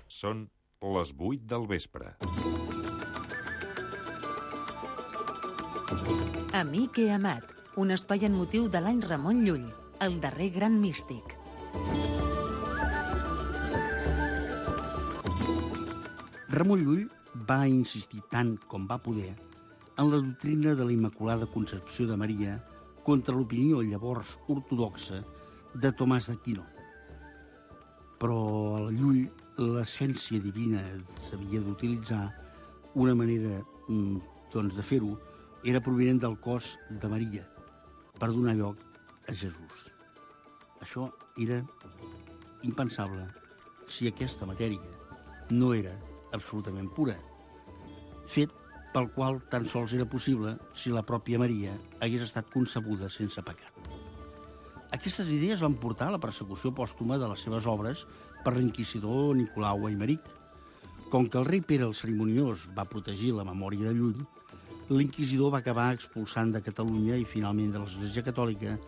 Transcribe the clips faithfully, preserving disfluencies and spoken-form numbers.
Són les vuit del vespre. Amic i amat, un espai en motiu de l'any Ramon Llull, el darrer gran místic. Ramon Llull va insistir tant com va poder en la doctrina de la Immaculada Concepció de Maria contra l'opinió llavors ortodoxa de Tomàs d'Aquino. Però a Llull l'essència divina s'havia d'utilitzar. Una manera doncs, de fer-ho era provinent del cos de Maria per donar lloc a Jesús. Això era impensable si aquesta matèria no era absolutament pura, fet pel qual tan sols era possible si la pròpia Maria hagués estat concebuda sense pecat. Aquestes idees van portar a la persecució pòstuma de les seves obres per l'inquisidor Nicolau Aimeric. Com que el rei Pere el Cerimoniós va protegir la memòria de Llull, l'inquisidor va acabar expulsant de Catalunya i finalment de l'Església Catòlica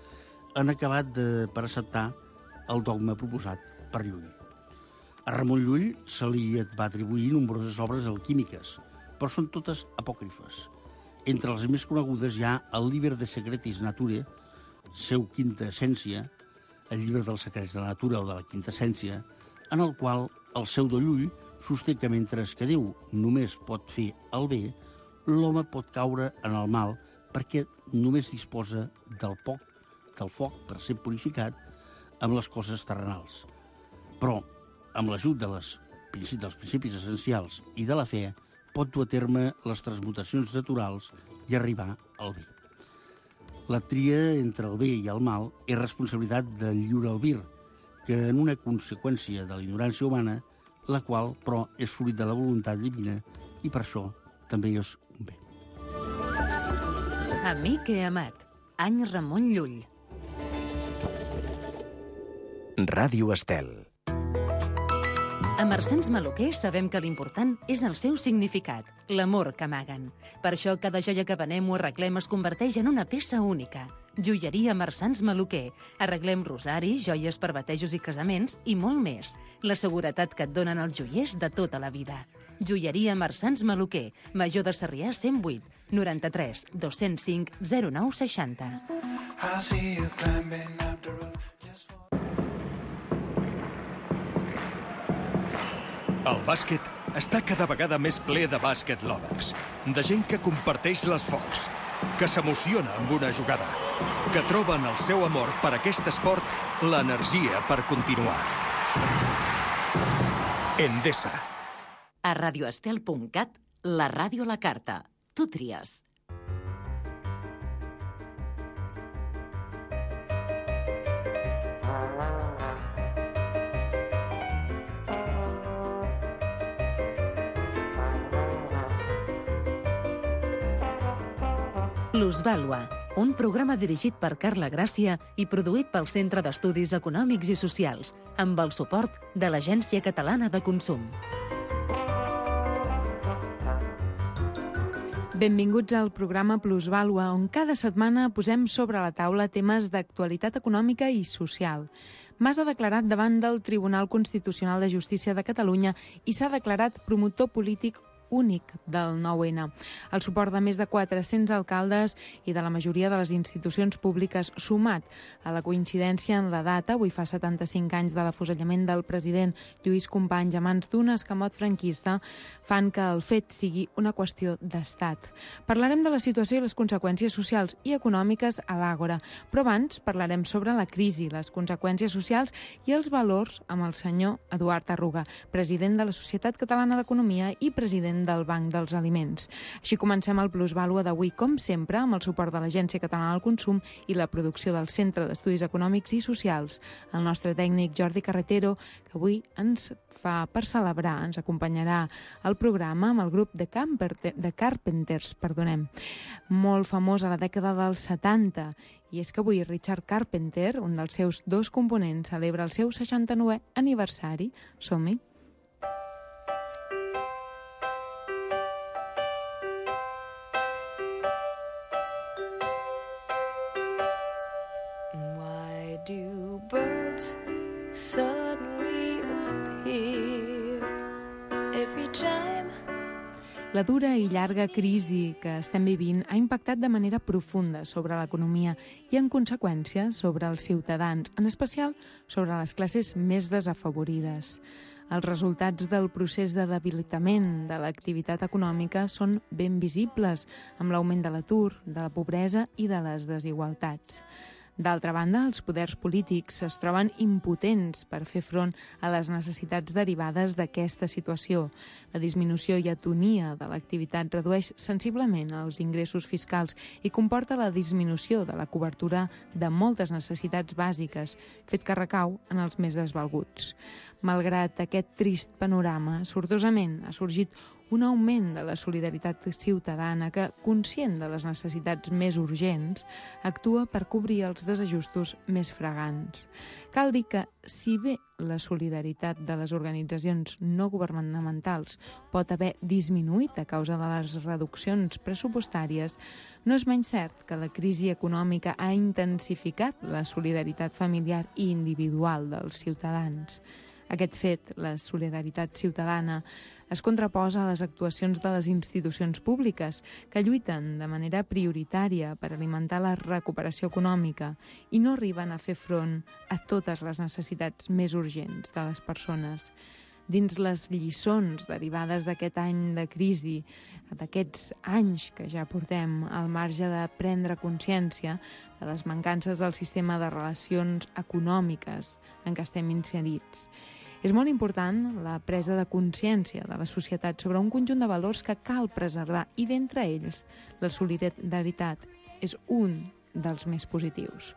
en acabat de, per acceptar el dogma proposat per Llull. A Ramon Llull se li va atribuir nombroses obres alquímiques, però són totes apòcrifes. Entre les més conegudes hi ha el Liber de Secretis Naturae, seu quinta essència, el llibre dels secrets de la natura o de la quinta essència, en el qual el pseudo Llull sosté que mentre que Déu només pot fer el bé, l'home pot caure en el mal perquè només disposa del poc, del foc per ser purificat amb les coses terrenals. Però, amb l'ajut de les, dels principis essencials i de la fe, pot dur a terme les transmutacions naturals i arribar al bé. La tria entre el bé i el mal és responsabilitat del lliure albir, que en una conseqüència de la ignorància humana, la qual, però, és fruit de la voluntat divina i per això també és un bé. Amic i amat, any Ramon Llull. Ràdio Estel. A Marsans Maluquer sabem que l'important és el seu significat, l'amor que amaguen. Per això cada joia que venem o arreglem es converteix en una peça única. Joieria Marsans Maluquer. Arreglem rosaris, joies per batejos i casaments i molt més. La seguretat que et donen els joiers de tota la vida. Joieria Marsans Maluquer. Major de Sarrià cent vuit, noranta-tres, dos-cents cinc, zero nou seixanta. I see you climbing up the road just for... El bàsquet està cada vegada més ple de bàsquet lovers, de gent que comparteix les focs, que s'emociona amb una jugada, que troben el seu amor per aquest esport l'energia per continuar. Endesa. A radioestel punt cat, la ràdio a la carta. Tu tries. Plusvàlua, un programa dirigit per Carla Gràcia i produït pel Centre d'Estudis Econòmics i Socials, amb el suport de l'Agència Catalana de Consum. Benvinguts al programa Plusvàlua, on cada setmana posem sobre la taula temes d'actualitat econòmica i social. Mas ha declarat davant del Tribunal Constitucional de Justícia de Catalunya i s'ha declarat promotor polític únic del nou ene. El suport de més de quatre-cents alcaldes i de la majoria de les institucions públiques, sumat a la coincidència en la data, avui fa setanta-cinc anys de l'afusellament del president Lluís Companys a mans d'un escamot franquista, fan que el fet sigui una qüestió d'estat. Parlarem de la situació i les conseqüències socials i econòmiques a l'Àgora, però abans parlarem sobre la crisi, les conseqüències socials i els valors amb el senyor Eduard Arruga, president de la Societat Catalana d'Economia i president del Banc dels Aliments. Així comencem el Plusvàlua d'avui, com sempre, amb el suport de l'Agència Catalana del Consum i la producció del Centre d'Estudis Econòmics i Socials. El nostre tècnic Jordi Carretero, que avui ens fa per celebrar, ens acompanyarà al programa amb el grup de, Camper, de Carpenters, perdonem, molt famós a la dècada dels setanta. I és que avui Richard Carpenter, un dels seus dos components, celebra el seu seixanta-novè aniversari. Som-hi! Do birds suddenly appear La dura i llarga crisi que estem vivint ha impactat de manera profunda sobre l'economia i, en conseqüència, sobre els ciutadans, en especial sobre les classes més desafavorides. Els resultats del procés de debilitament de l'activitat econòmica són ben visibles, amb l'augment de l'atur, de la pobresa i de les desigualtats. D'altra banda, els poders polítics es troben impotents per fer front a les necessitats derivades d'aquesta situació. La disminució i atonia de l'activitat redueix sensiblement els ingressos fiscals i comporta la disminució de la cobertura de moltes necessitats bàsiques, fet que recau en els més desvalguts. Malgrat aquest trist panorama, sortosament ha sorgit un augment de la solidaritat ciutadana que, conscient de les necessitats més urgents, actua per cobrir els desajustos més fragants. Cal dir que, si bé la solidaritat de les organitzacions no governamentals pot haver disminuït a causa de les reduccions pressupostàries, no és menys cert que la crisi econòmica ha intensificat la solidaritat familiar i individual dels ciutadans. Aquest fet, la solidaritat ciutadana, es contraposa a les actuacions de les institucions públiques que lluiten de manera prioritària per alimentar la recuperació econòmica i no arriben a fer front a totes les necessitats més urgents de les persones. Dins les lliçons derivades d'aquest any de crisi, d'aquests anys que ja portem al marge de prendre consciència de les mancances del sistema de relacions econòmiques en què estem inserits, és molt important la presa de consciència de la societat sobre un conjunt de valors que cal preservar i, d'entre ells, la solidaritat és un dels més positius.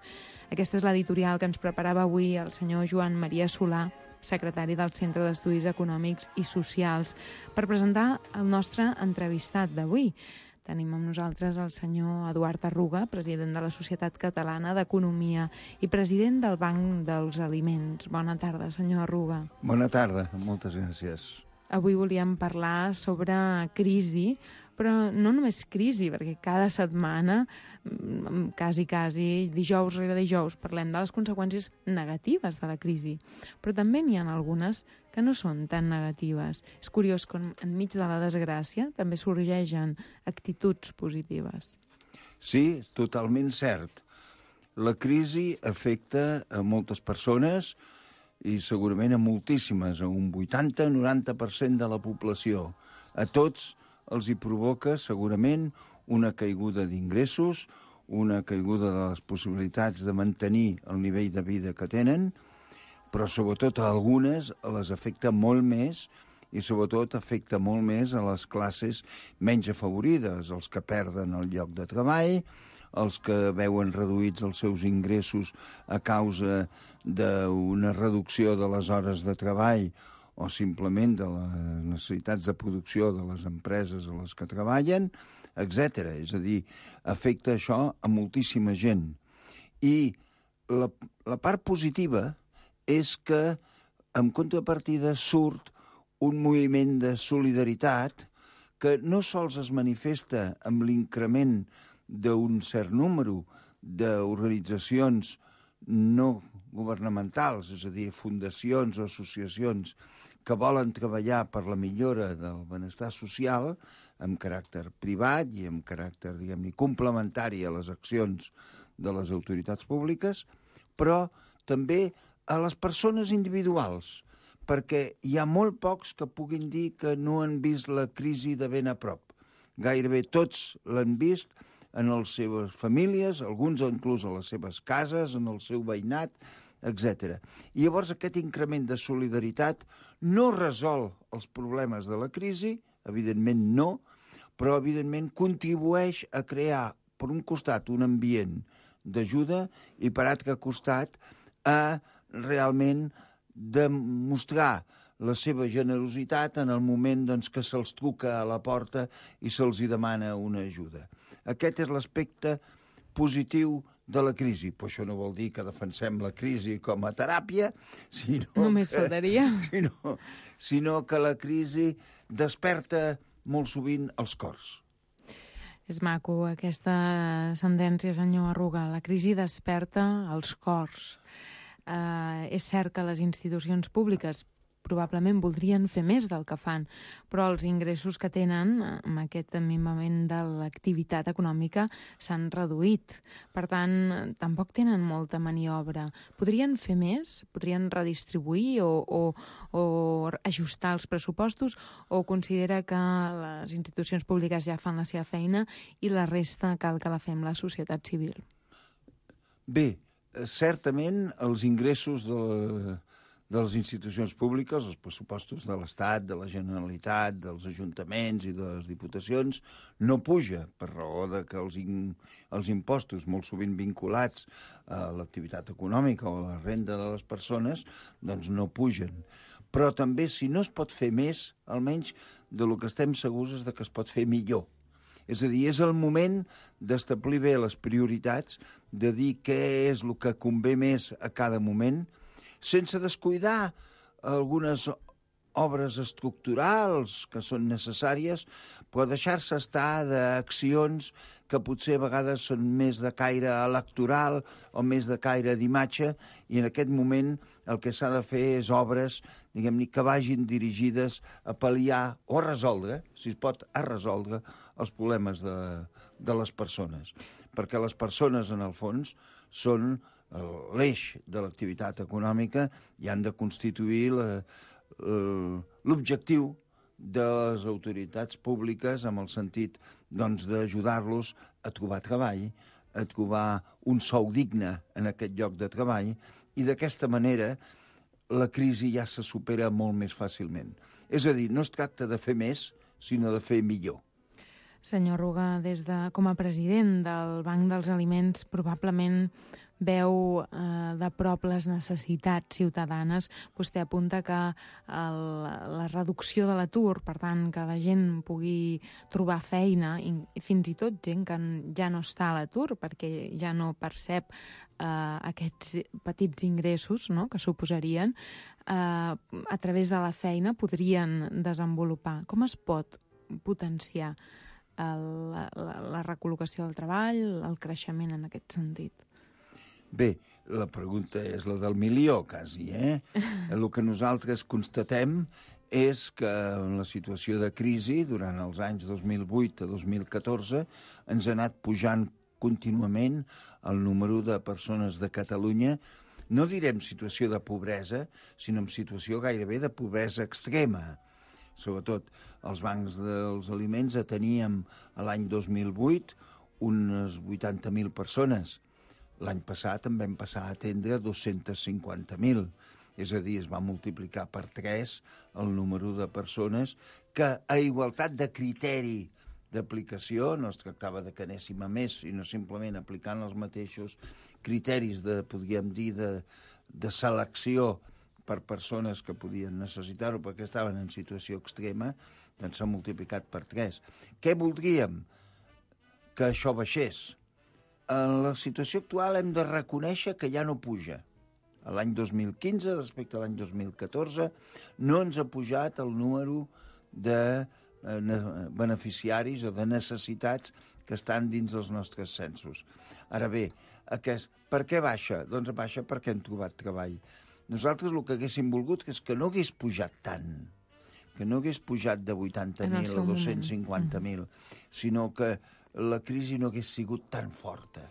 Aquesta és l'editorial que ens preparava avui el senyor Joan Maria Solà, secretari del Centre d'Estudis Econòmics i Socials, per presentar el nostre entrevistat d'avui. Tenim amb nosaltres el senyor Eduard Arruga, president de la Societat Catalana d'Economia i president del Banc dels Aliments. Bona tarda, senyor Arruga. Bona tarda, moltes gràcies. Avui volíem parlar sobre crisi, però no només crisi, perquè cada setmana, quasi, quasi, dijous rere dijous, parlem de les conseqüències negatives de la crisi. Però també n'hi ha algunes que no són tan negatives. És curiós com enmig de la desgràcia també sorgeixen actituds positives. Sí, totalment cert. La crisi afecta a moltes persones i segurament a moltíssimes, a un vuitanta a noranta per cent de la població. A tots els hi provoca segurament una caiguda d'ingressos, una caiguda de les possibilitats de mantenir el nivell de vida que tenen, però sobretot a algunes les afecta molt més i sobretot afecta molt més a les classes menys afavorides, els que perden el lloc de treball, els que veuen reduïts els seus ingressos a causa d'una reducció de les hores de treball o simplement de les necessitats de producció de les empreses a les que treballen, etcètera. És a dir, afecta això a moltíssima gent. I la, la part positiva és que, en contrapartida, surt un moviment de solidaritat que no sols es manifesta amb l'increment d'un cert número d'organitzacions no governamentals, és a dir, fundacions o associacions que volen treballar per la millora del benestar social amb caràcter privat i amb caràcter, diguem-ne, complementari a les accions de les autoritats públiques, però també a les persones individuals, perquè hi ha molt pocs que puguin dir que no han vist la crisi de ben a prop. Gairebé tots l'han vist en les seves famílies, alguns inclús a les seves cases, en el seu veïnat, etcètera. I llavors aquest increment de solidaritat no resol els problemes de la crisi, evidentment no, però evidentment contribueix a crear, per un costat, un ambient d'ajuda i per altre costat a realment demostrar la seva generositat en el moment doncs, que se'ls truca a la porta i se'ls hi demana una ajuda. Aquest és l'aspecte positiu de la crisi. Però això no vol dir que defensem la crisi com a teràpia, sinó, Només que, faltaria. sinó, sinó que la crisi desperta molt sovint els cors. És maco aquesta sentència, senyor Arruga. La crisi desperta els cors. Uh, és cert que les institucions públiques, probablement voldrien fer més del que fan, però els ingressos que tenen amb aquest minvament de l'activitat econòmica s'han reduït. Per tant, tampoc tenen molta maniobra. Podrien fer més? Podrien redistribuir o, o, o ajustar els pressupostos, o considera que les institucions públiques ja fan la seva feina i la resta cal que la fem la societat civil? Bé, certament els ingressos de, de les institucions públiques, els pressupostos de l'Estat, de la Generalitat, dels ajuntaments i de les diputacions, no puja per raó de que els, in, els impostos, molt sovint vinculats a l'activitat econòmica o a la renda de les persones, doncs no pugen. Però també, si no es pot fer més, almenys de lo que estem segurs és de que es pot fer millor. És a dir, és el moment d'establir bé les prioritats, de dir què és el que convé més a cada moment, sense descuidar algunes obres estructurals que són necessàries, però deixar-se estar d'accions que potser a vegades són més de caire electoral o més de caire d'imatge, i en aquest moment el que s'ha de fer és obres, diguem-ne, que vagin dirigides a pal·liar o a resoldre, si es pot, a resoldre els problemes de, de les persones. Perquè les persones, en el fons, són l'eix de l'activitat econòmica i han de constituir la, l'objectiu de les autoritats públiques amb el sentit, doncs, d'ajudar-los a trobar treball, a trobar un sou digne en aquest lloc de treball, i d'aquesta manera la crisi ja se supera molt més fàcilment. És a dir, no es tracta de fer més, sinó de fer millor. Senyor Ruga, des de, com a president del Banc dels Aliments, probablement veu eh, de prop les necessitats ciutadanes. Vostè apunta que el, la reducció de l'atur, per tant, que la gent pugui trobar feina, i, i fins i tot gent que ja no està a l'atur perquè ja no percep eh, aquests petits ingressos, no?, que suposarien, eh, a través de la feina podrien desenvolupar. Com es pot potenciar el, la, la recol·locació del treball, el creixement en aquest sentit? Bé, la pregunta és la del milió, quasi, eh? El que nosaltres constatem és que en la situació de crisi, durant els anys dos mil vuit a dos mil catorze, ens ha anat pujant contínuament el número de persones de Catalunya, no direm situació de pobresa, sinó en situació gairebé de pobresa extrema. Sobretot els bancs dels aliments teníem l'any dos mil vuit unes vuitanta mil persones. L'any passat en vam passar a atendre dos-cents cinquanta mil. És a dir, es va multiplicar per tres el número de persones que, a igualtat de criteri d'aplicació, no es tractava de que anéssim a més, sinó simplement aplicant els mateixos criteris de, podríem dir, de, de selecció per persones que podien necessitar-ho perquè estaven en situació extrema, doncs s'ha multiplicat per tres. Què voldríem? Que això baixés. En la situació actual hem de reconèixer que ja no puja. L'any dos mil quinze, respecte a l'any dos mil catorze, no ens ha pujat el número de beneficiaris o de necessitats que estan dins dels nostres censos. Ara bé, aquest, per què baixa? Doncs baixa perquè hem trobat treball. Nosaltres el que haguéssim volgut és que no hagués pujat tant, que no hagués pujat de vuitanta mil a dos-cents cinquanta mil, sinó que la crisi no hagués sigut tan forta.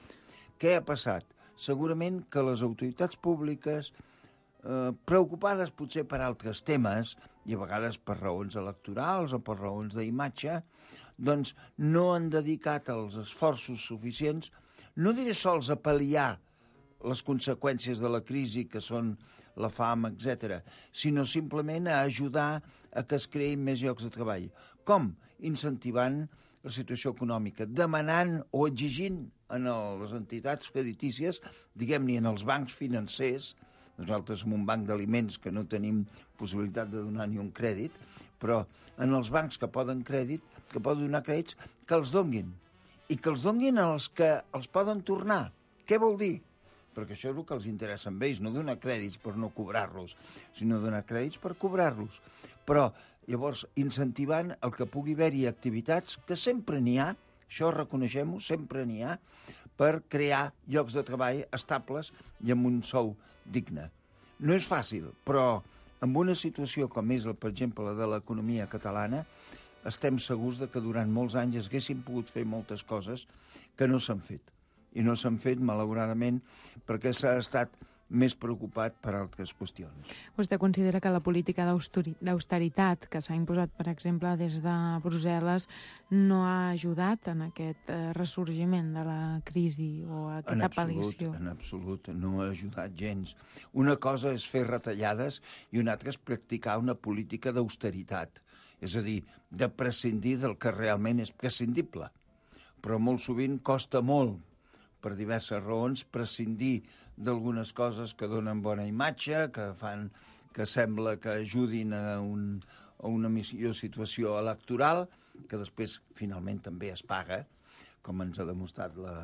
Què ha passat? Segurament que les autoritats públiques, eh, preocupades potser per altres temes, i a vegades per raons electorals o per raons d'imatge, doncs no han dedicat els esforços suficients, no diré sols a pal·liar les conseqüències de la crisi, que són la fam, etcètera, sinó simplement a ajudar a que es creïn més llocs de treball. Com? Incentivant la situació econòmica, demanant o exigint en les entitats creditícies, diguem-ne en els bancs financers, nosaltres som un banc d'aliments que no tenim possibilitat de donar ni un crèdit, però en els bancs que poden crèdit, que poden donar crèdits, que els donguin. I que els donguin als que els poden tornar. Què vol dir? Perquè això és el que els interessa a ells, no donar crèdits per no cobrar-los, sinó donar crèdits per cobrar-los. Però, llavors, incentivant el que pugui haver-hi activitats, que sempre n'hi ha, això reconeixem-ho, sempre n'hi ha, per crear llocs de treball estables i amb un sou digne. No és fàcil, però en una situació com és, per exemple, la de l'economia catalana, estem segurs de que durant molts anys es haguessin pogut fer moltes coses que no s'han fet. I no s'han fet, malauradament, perquè s'ha estat més preocupat per altres qüestions. Vostè considera que la política d'austeritat que s'ha imposat, per exemple, des de Brussel·les, no ha ajudat en aquest ressorgiment de la crisi o a aquesta pal·liació? En absolut, no ha ajudat gens. Una cosa és fer retallades i una altra és practicar una política d'austeritat, és a dir, de prescindir del que realment és prescindible. Però molt sovint costa molt, per diverses raons, prescindir d'algunes coses que donen bona imatge, que fan que sembla que ajudin a, un, a una millor situació electoral, que després finalment també es paga, com ens ha demostrat la,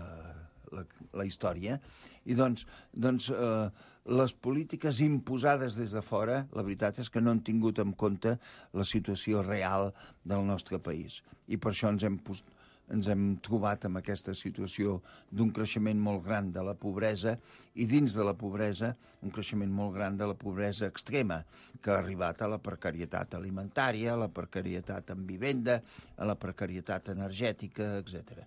la, la història. I doncs, doncs eh, les polítiques imposades des de fora, la veritat és que no han tingut en compte la situació real del nostre país. I per això ens hem posat ens hem trobat amb aquesta situació d'un creixement molt gran de la pobresa i dins de la pobresa un creixement molt gran de la pobresa extrema que ha arribat a la precarietat alimentària, a la precarietat en vivenda, a la precarietat energètica, etcètera.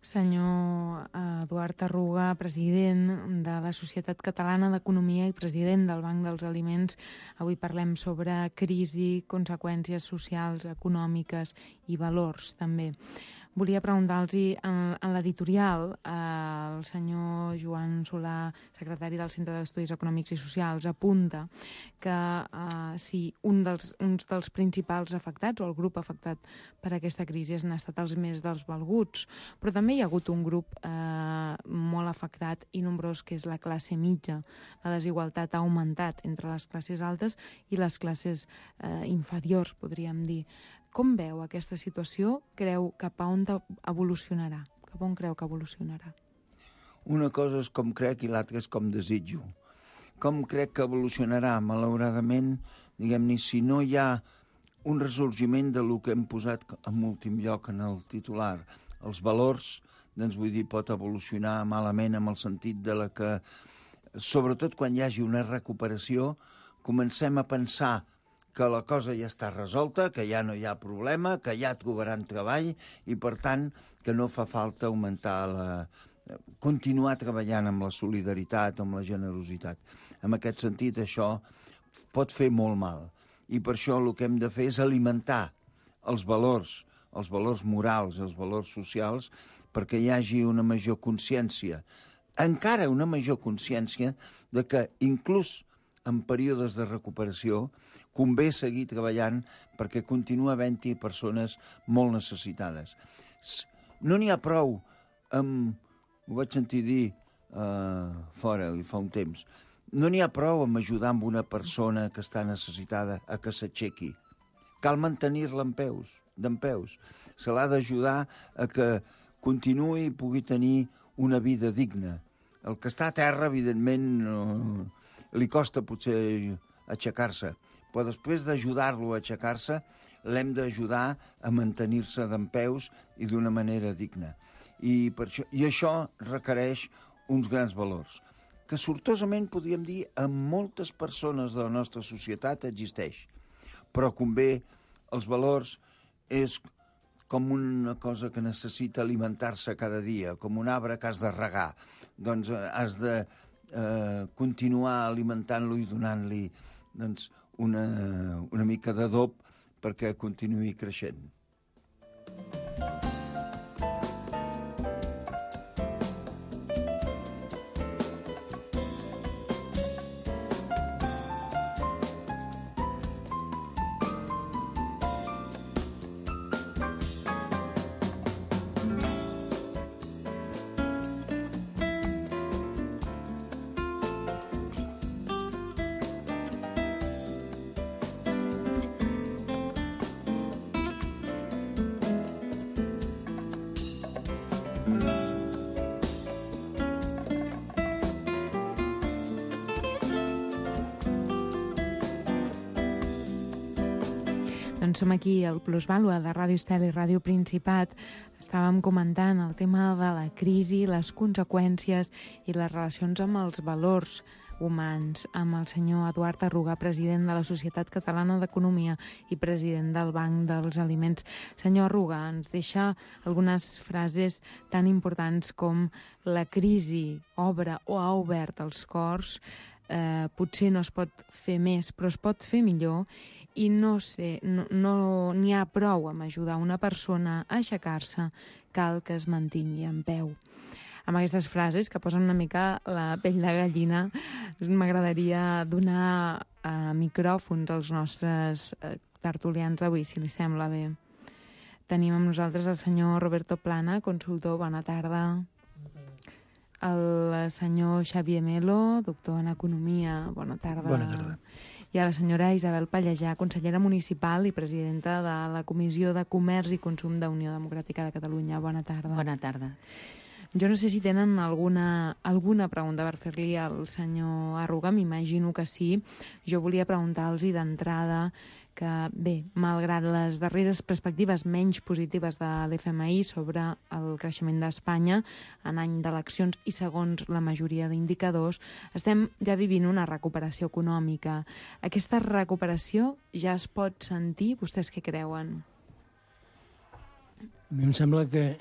Senyor Eduard Arruga, president de la Societat Catalana d'Economia i president del Banc dels Aliments, avui parlem sobre crisi, conseqüències socials, econòmiques i valors, també. Volia preguntar-los, en, en l'editorial, eh, el senyor Joan Solà, secretari del Centre d'Estudis Econòmics i Socials, apunta que eh, si un dels, uns dels principals afectats, o el grup afectat per aquesta crisi, han estat els més desvalguts, però també hi ha hagut un grup eh, molt afectat i nombrós, que és la classe mitja. La desigualtat ha augmentat entre les classes altes i les classes eh, inferiors, podríem dir. Com veu aquesta situació? Creu cap a on evolucionarà? Cap a on creu que evolucionarà? Una cosa és com crec i l'altra és com desitjo. Com crec que evolucionarà? Malauradament, diguem-ne, si no hi ha un ressorgiment de lo que hem posat en últim lloc en el titular, els valors, doncs vull dir, pot evolucionar malament en el sentit de la que, sobretot quan hi hagi una recuperació, comencem a pensar que la cosa ja està resolta, que ja no hi ha problema, que ja trobaran treball i, per tant, que no fa falta augmentar la... continuar treballant amb la solidaritat, amb la generositat. En aquest sentit, això pot fer molt mal. I per això el que hem de fer és alimentar els valors, els valors morals, els valors socials, perquè hi hagi una major consciència, encara una major consciència de que inclús en períodes de recuperació convé seguir treballant perquè continua havent-hi persones molt necessitades. No n'hi ha prou amb... Ho vaig sentir dir uh, fora fa un temps. No n'hi ha prou amb ajudar amb una persona que està necessitada a que s'aixequi. Cal mantenir-la en peus, dempeus. Se l'ha d'ajudar a que continuï i pugui tenir una vida digna. El que està a terra, evidentment, no, li costa potser aixecar-se, però després d'ajudar-lo a aixecar-se, l'hem d'ajudar a mantenir-se dempeus i d'una manera digna. I, per això, I això requereix uns grans valors, que sortosament, podríem dir, en moltes persones de la nostra societat existeix. Però convé, els valors és com una cosa que necessita alimentar-se cada dia, com un arbre que has de regar. Doncs has de eh, continuar alimentant-lo i donant-li doncs, una, una mica d'adob perquè continuï creixent. Doncs som aquí al Plusvàlua de Ràdio Estel i Ràdio Principat. Estàvem comentant el tema de la crisi, les conseqüències i les relacions amb els valors. humans, amb el senyor Eduard Arruga, president de la Societat Catalana d'Economia i president del Banc dels Aliments. Senyor Arruga, ens deixa algunes frases tan importants com la crisi obre o ha obert els cors, eh, potser no es pot fer més, però es pot fer millor, i no sé, no, no n'hi ha prou amb ajudar una persona a aixecar-se, cal que es mantingui en peu. Amb aquestes frases, que posen una mica la pell de gallina, m'agradaria donar eh, micròfons als nostres eh, tertulians d'avui, si li sembla bé. Tenim amb nosaltres el senyor Roberto Plana, consultor, bona tarda. El senyor Xavier Melo, doctor en Economia, bona tarda. Bona tarda. I a la senyora Isabel Pallejà, consellera municipal i presidenta de la Comissió de Comerç i Consum d'Unió Democràtica de Catalunya. Bona tarda. Bona tarda. Jo no sé si tenen alguna, alguna pregunta per fer-li al senyor Arruga, m'imagino que sí. Jo volia preguntar-los d'entrada que, bé, malgrat les darreres perspectives menys positives de l'F M I sobre el creixement d'Espanya en any d'eleccions i segons la majoria d'indicadors, estem ja vivint una recuperació econòmica. Aquesta recuperació ja es pot sentir? Vostès què creuen? A mi em sembla que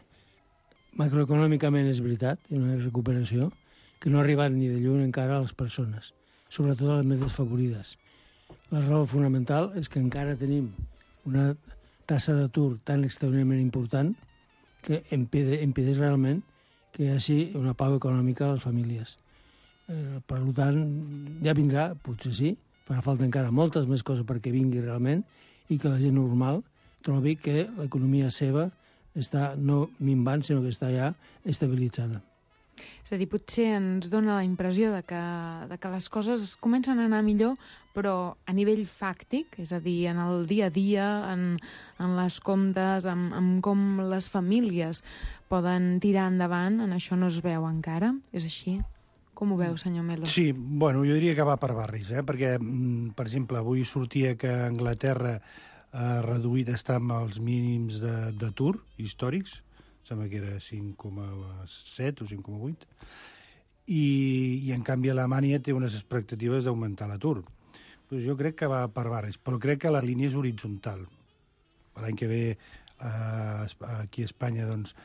macroeconòmicament és veritat, hi ha una recuperació que no ha arribat ni de lluny encara a les persones, sobretot a les més desfavorides. La raó fonamental és que encara tenim una tassa d'atur tan extraordinàriament important que impedeix realment que hi hagi una pau econòmica a les famílies. Eh, per tant, ja vindrà, potser sí, farà falta encara moltes més coses perquè vingui realment i que la gent normal trobi que l'economia seva està no minvant, sinó que està ja estabilitzada. És a dir, potser ens dona la impressió de que, de que les coses comencen a anar millor, però a nivell fàctic, és a dir, en el dia a dia, en, en les comptes, en, en com les famílies poden tirar endavant, en això no es veu encara. És així? Com ho veu, senyor Melo? Sí, bueno, jo diria que va per barris, eh? perquè, per exemple, avui sortia que Anglaterra ha reduït, està amb els mínims d'atur històrics, sembla que era cinc coma set o cinc coma vuit, i, i en canvi Alemanya té unes expectatives d'augmentar l'atur. Pues jo crec que va per barris, però crec que la línia és horitzontal. L'any que ve eh, aquí a Espanya, doncs,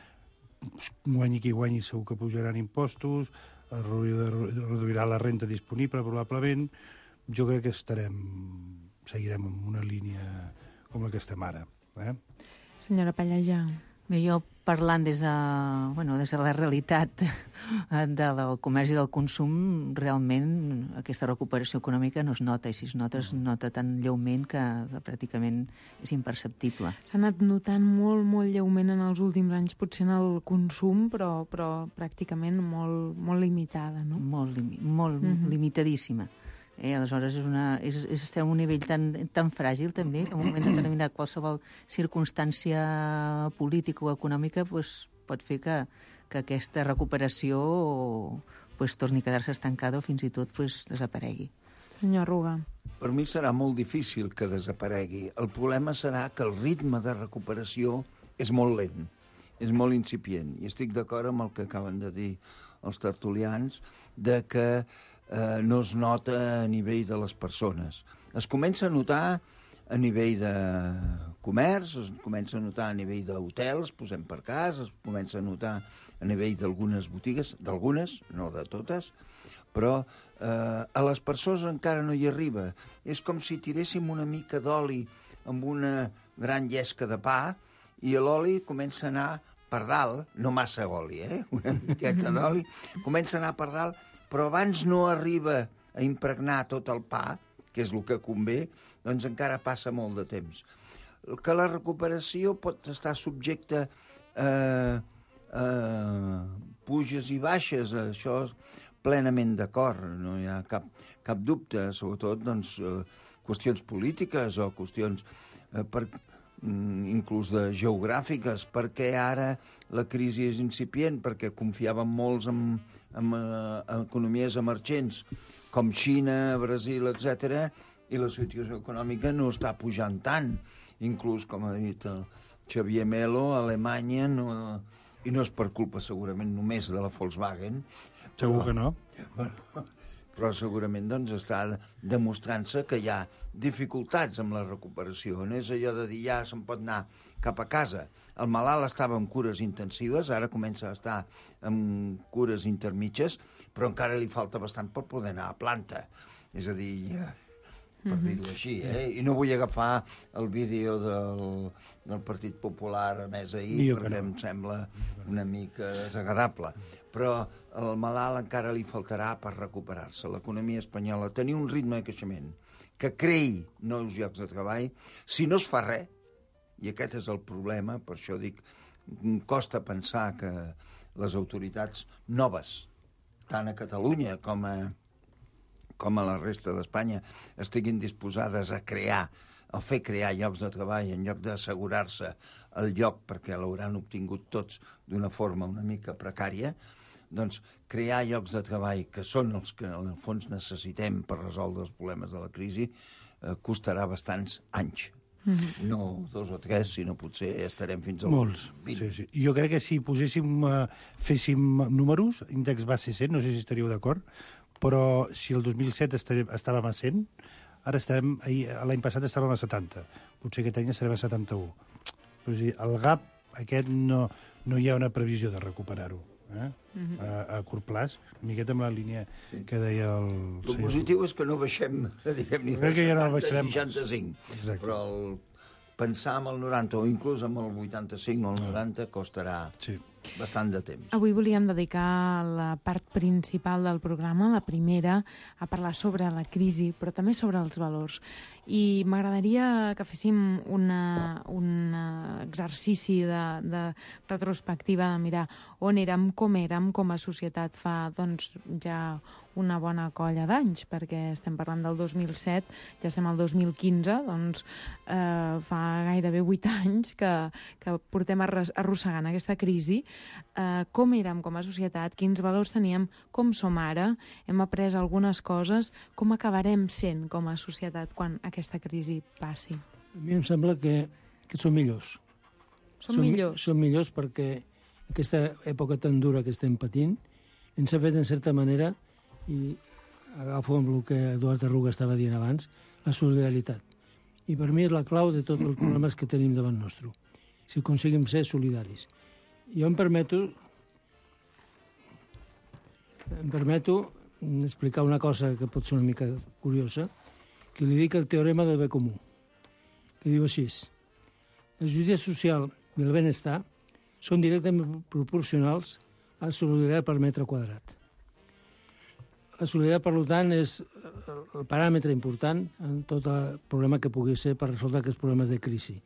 guanyi qui guanyi segur que pujaran impostos, es reduirà la renta disponible probablement. Jo crec que estarem, seguirem en una línia com la que estem ara. Eh? Senyora Pallejà. Bé, jo parlant des de, bueno, des de la realitat del comerç i del consum, realment aquesta recuperació econòmica no es nota, i si es nota, es nota tan lleument que, que pràcticament és imperceptible. S'ha anat notant molt, molt lleument en els últims anys, potser en el consum, però, però pràcticament molt, molt limitada, no? Molt, limi molt mm-hmm. limitadíssima. Eh, aleshores, és una, és, és, estem a un nivell tan, tan fràgil, també, que en un moment determinat qualsevol circumstància política o econòmica pues, pot fer que, que aquesta recuperació pues, torni a quedar-se estancada o fins i tot pues, desaparegui. Senyor Arruga. Per mi serà molt difícil que desaparegui. El problema serà que el ritme de recuperació és molt lent, és molt incipient. I estic d'acord amb el que acaben de dir els tertulians, de que Eh, no es nota a nivell de les persones. Es comença a notar a nivell de comerç, es comença a notar a nivell d'hotels, posem per cas, es comença a notar a nivell d'algunes botigues, d'algunes, no de totes, però eh, a les persones encara no hi arriba. És com si tiréssim una mica d'oli amb una gran llesca de pa i l'oli comença a anar per dalt, no massa oli, eh? Una miqueta d'oli, comença a anar per dalt, però abans no arriba a impregnar tot el pa, que és el que convé, doncs encara passa molt de temps. Que la recuperació pot estar subjecta a, a puges i baixes, això plenament d'acord, no hi ha cap, cap dubte, sobretot doncs, qüestions polítiques o qüestions eh, per, inclús de geogràfiques, perquè ara la crisi és incipient, perquè confiaven molts en, en, en economies emergents com Xina, Brasil, etcètera, i la situació econòmica no està pujant tant. Inclús, com ha dit el Xavier Melo, a Alemanya, no, i no és per culpa segurament només de la Volkswagen. Segur que no. Però, però segurament doncs, està demostrant-se que hi ha dificultats amb la recuperació. No és allò de dir ja se'n pot anar cap a casa. El malalt estava en cures intensives, ara comença a estar en cures intermitges, però encara li falta bastant per poder anar a planta. És a dir, per dir-ho així, eh? I no vull agafar el vídeo del, del Partit Popular emès ahir, perquè no. Em sembla una mica desagradable. Però al malalt encara li faltarà per recuperar-se. L'economia espanyola tenia un ritme de creixement que creï nous llocs de treball. Si no es fa res, i aquest és el problema, per això dic, costa pensar que les autoritats noves, tant a Catalunya com a com a la resta d'Espanya, estiguin disposades a crear, a fer crear llocs de treball en lloc d'assegurar-se el lloc perquè l'hauran obtingut tots d'una forma una mica precària, doncs crear llocs de treball que són els que en el fons necessitem per resoldre els problemes de la crisi eh, costarà bastants anys. Mm-hmm. No dos o tres, sinó potser estarem fins a molts. vint. Sí, sí. Jo crec que si poséssim, uh, féssim números, índex base cent, no sé si estaríeu d'acord, però si el dos mil set estàvem a cent, ara estarem, l'any passat estàvem a setanta. Potser aquest any estarem a setanta-u. Però, o sigui, el gap aquest no, no hi ha una previsió de recuperar-ho. Eh? Mm-hmm. a, a curt plaç, una miqueta amb la línia sí. que deia el... El senyor... positiu és que no baixem, diguem, ni de setanta no baixarem... seixanta-cinc. Exacte. Però el pensar en el noranta o inclús en el vuitanta-cinc o el noranta costarà sí. bastant de temps. Avui volíem dedicar la part principal del programa, la primera, a parlar sobre la crisi, però també sobre els valors. I m'agradaria que féssim una, un exercici de, de retrospectiva, de mirar on érem, com érem com a societat fa doncs, ja una bona colla d'anys, perquè estem parlant del dos mil set, ja estem al dos mil quinze, doncs eh, fa gairebé vuit anys que, que portem arrossegant aquesta crisi. Eh, com érem com a societat, quins valors teníem, com som ara, hem après algunes coses, com acabarem sent com a societat quan aquesta crisi passi. A mi em sembla que, que som millors. Som, som millors? Som millors perquè aquesta època tan dura que estem patint ens ha fet, en certa manera, i agafo amb el que Eduard Arruga estava dient abans, la solidaritat. I per mi és la clau de tots els problemes que tenim davant nostre. Si aconseguim ser solidaris. Jo em permeto em permeto explicar una cosa que pot ser una mica curiosa, que li dic el teorema del bé comú, que diu així: la justícia social i el benestar són directament proporcionals a la solidaritat per metre quadrat. La solidaritat, per tant, és el paràmetre important en tot el problema que pugui ser per resoldre aquests problemes de crisi.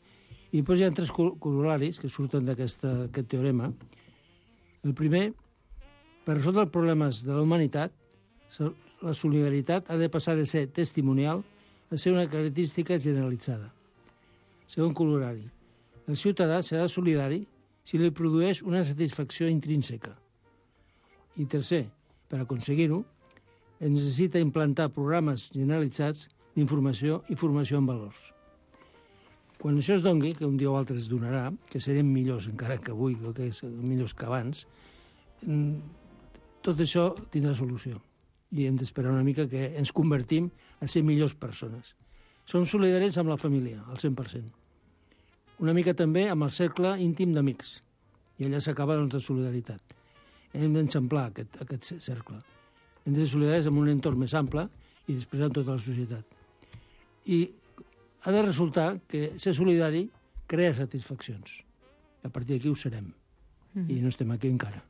I després hi ha tres corolaris que surten d'aquest teorema. El primer, per resoldre els problemes de la humanitat, la solidaritat ha de passar de ser testimonial a ser una característica generalitzada. Segon corolari, el ciutadà serà solidari si li produeix una satisfacció intrínseca. I tercer, per aconseguir-ho, es necessita implantar programes generalitzats d'informació i formació en valors. Quan això es dongui, que un dia o altre es donarà, que serem millors encara que avui, que serem millors que abans, tot això tindrà solució. I hem d'esperar una mica que ens convertim a ser millors persones. Som solidaris amb la família, al cent per cent. Una mica també amb el cercle íntim d'amics. I allà s'acaba la nostra solidaritat. Hem d'enxamplar aquest, aquest cercle. Hem de ser solidaris amb un entorn més ample i després amb tota la societat. I ha de resultar que ser solidari crea satisfaccions. A partir d'aquí ho serem. Mm-hmm. I no estem aquí encara.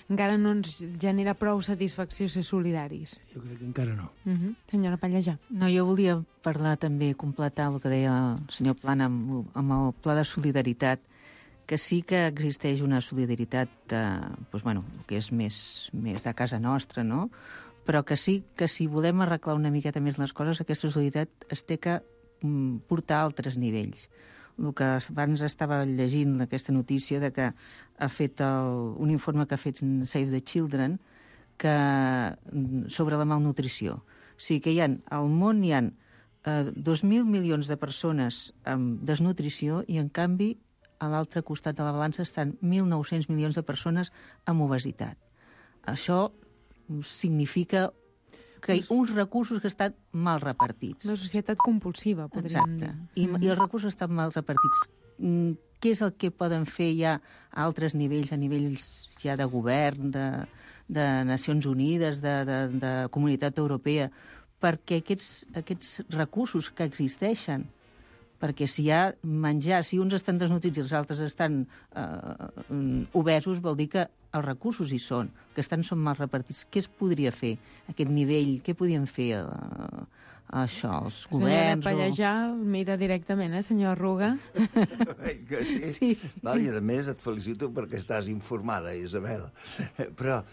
Encara no ens genera prou satisfacció ser solidaris. Jo crec que encara no. Mm-hmm. Senyora Pallejà. No, jo volia parlar també, completar el que deia el senyor Plana amb, amb el pla de solidaritat, que sí que existeix una solidaritat de, doncs, bueno, que és més, més de casa nostra, no? Però que sí que si volem arreglar una miqueta més les coses, aquesta solidaritat es té que mm, portar a altres nivells. El que abans estava llegint aquesta notícia de que ha fet el, un informe que ha fet Save the Children que, sobre la malnutrició. O sigui que hi ha, al món hi ha eh, dos mil milions de persones amb desnutrició i, en canvi, a l'altre costat de la balança estan mil nou-cents milions de persones amb obesitat. Això significa que uns recursos que estan mal repartits. Una societat compulsiva, podríem Exacte. dir. I, I els recursos estan mal repartits. Què és el que poden fer ja a altres nivells, a nivells ja de govern, de, de Nacions Unides, de, de, de Comunitat Europea, perquè aquests, aquests recursos que existeixen, perquè si hi ha menjar, si uns estan desnutrits i els altres estan eh, obesos, vol dir que els recursos hi són, que estan són mal repartits. Què es podria fer, aquest nivell? Què podien fer eh, això, els governs? Senyora Pallejà, o... mira directament, eh, senyor Arruga? Que sí. Sí. Val, i a més et felicito perquè estàs informada, Isabel. Però,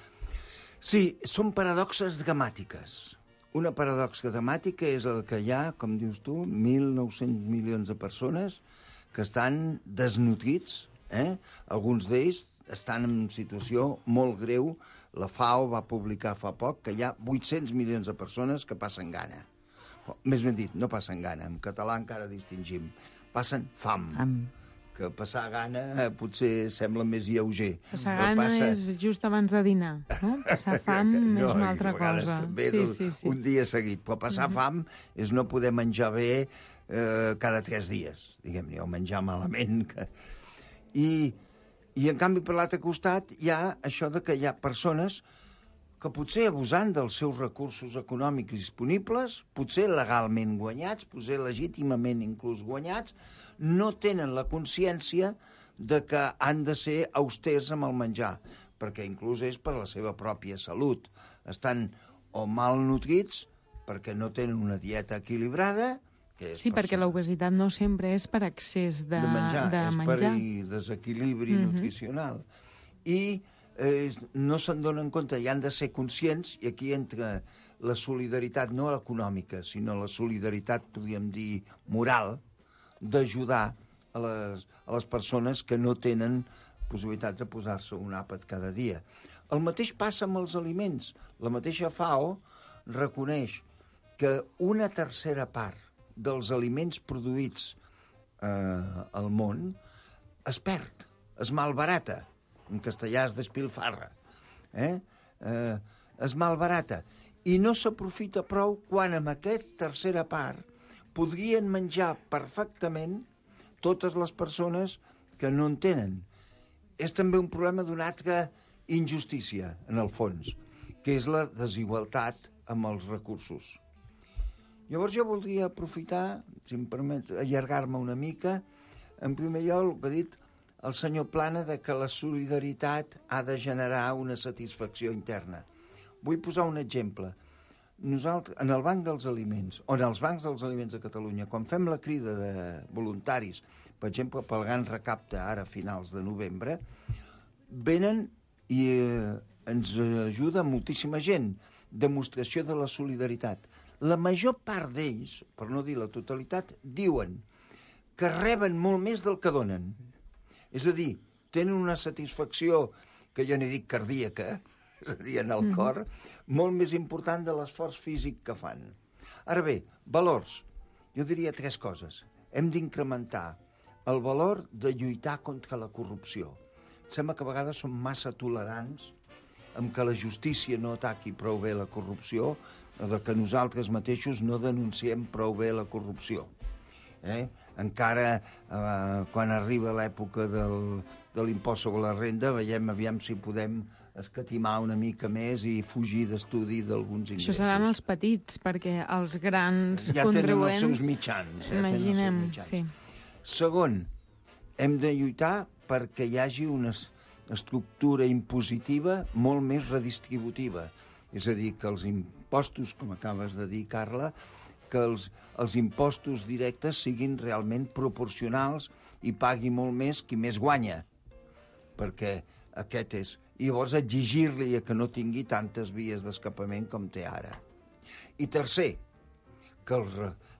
sí, són paradoxes gramàtiques. Una paradoxa gramàtica és el que hi ha, com dius tu, mil nou-cents milions de persones que estan desnutrits, eh? Alguns d'ells estan en situació molt greu. La FAO va publicar fa poc que hi ha vuit-cents milions de persones que passen gana. O, més ben dit, no passen gana, en català encara distingim. Passen fam. Fam. Que passar gana eh, potser sembla més lleuger. Passar gana passa... és just abans de dinar, no? Passar fam no, és una altra cosa. També sí, sí, sí. Un dia seguit. Però passar uh-huh. fam és no poder menjar bé eh, cada tres dies, diguem-ne, o menjar malament. Que... I, I, en canvi, per l'altre costat, hi ha això de que hi ha persones que potser abusant dels seus recursos econòmics disponibles, potser legalment guanyats, potser legítimament inclús guanyats, no tenen la consciència de que han de ser austers amb el menjar, perquè inclús és per la seva pròpia salut. Estan o malnutrits perquè no tenen una dieta equilibrada, que és sí, perquè l'obesitat no sempre és per excés de, de menjar, de és menjar. per desequilibri mm-hmm. nutricional. I eh, no se'n donen compte i han de ser conscients, i aquí entra la solidaritat, no econòmica, sinó la solidaritat, podríem dir, moral, d'ajudar a les, a les persones que no tenen possibilitats de posar-se un àpat cada dia. El mateix passa amb els aliments. La mateixa FAO reconeix que una tercera part dels aliments produïts eh, al món es perd, es malbarata. En castellà es despilfarra. Eh? Eh, es malbarata. I no s'aprofita prou quan amb aquesta tercera part podrien menjar perfectament totes les persones que no en tenen. És també un problema d'una altra injustícia, en el fons, que és la desigualtat amb els recursos. Llavors jo voldria aprofitar, si em permet, allargar-me una mica, en primer lloc el que ha dit el senyor Plana de que la solidaritat ha de generar una satisfacció interna. Vull posar un exemple. Nosaltres, en el Banc dels Aliments, o en els bancs dels aliments de Catalunya, quan fem la crida de voluntaris, per exemple, pel gran recapte ara a finals de novembre, venen i eh, ens ajuda moltíssima gent, demostració de la solidaritat. La major part d'ells, per no dir la totalitat, diuen que reben molt més del que donen. És a dir, tenen una satisfacció, que jo n'he dit cardíaca, és a dir, en el cor, molt més important de l'esforç físic que fan. Ara bé, valors. Jo diria tres coses. Hem d'incrementar el valor de lluitar contra la corrupció. Sembla que a vegades som massa tolerants amb que la justícia no ataqui prou bé la corrupció o de que nosaltres mateixos no denunciem prou bé la corrupció. Eh? Encara eh, quan arriba l'època del, de l'impost sobre la renda, veiem aviam si podem escatimar una mica més i fugir d'estudi d'alguns ingressos. Això seran els petits, perquè els grans ja contribuents... tenen els seus mitjans. Ja imaginem, tenen els seus mitjans. Sí. Segon, hem de lluitar perquè hi hagi una estructura impositiva molt més redistributiva. És a dir, que els impostos, com acabes de dir, Carla, que els, els impostos directes siguin realment proporcionals i pagui molt més qui més guanya. Perquè aquest és... I llavors exigir-li que no tingui tantes vies d'escapament com té ara. I tercer, que els,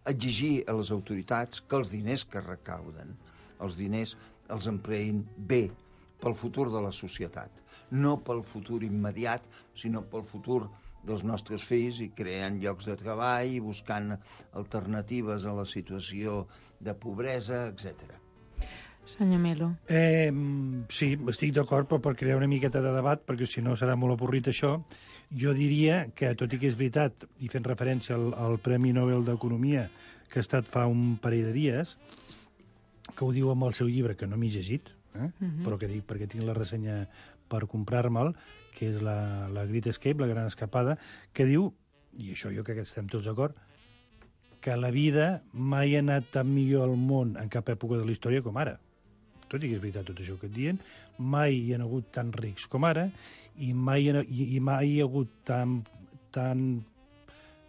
exigir a les autoritats que els diners que recauden, els diners els empleïn bé pel futur de la societat. No pel futur immediat, sinó pel futur dels nostres fills i creant llocs de treball, buscant alternatives a la situació de pobresa, etcètera. Senyor Melo. Eh, sí, estic d'acord, però per crear una miqueta de debat, perquè si no serà molt avorrit això, jo diria que, tot i que és veritat, i fent referència al, al Premi Nobel d'Economia, que ha estat fa un parell de dies, que ho diu amb el seu llibre, que no m'he llegit, eh? uh-huh. però que dic perquè tinc la ressenya per comprar-me'l, que és la, la Great Escape, la gran escapada, que diu, i això jo crec que estem tots d'acord, que la vida mai ha anat tan millor al món en cap època de la història com ara. Tot i que és veritat tot això que et diuen, mai hi ha hagut tan rics com ara i mai hi ha, i, i mai hi ha hagut tan, tan,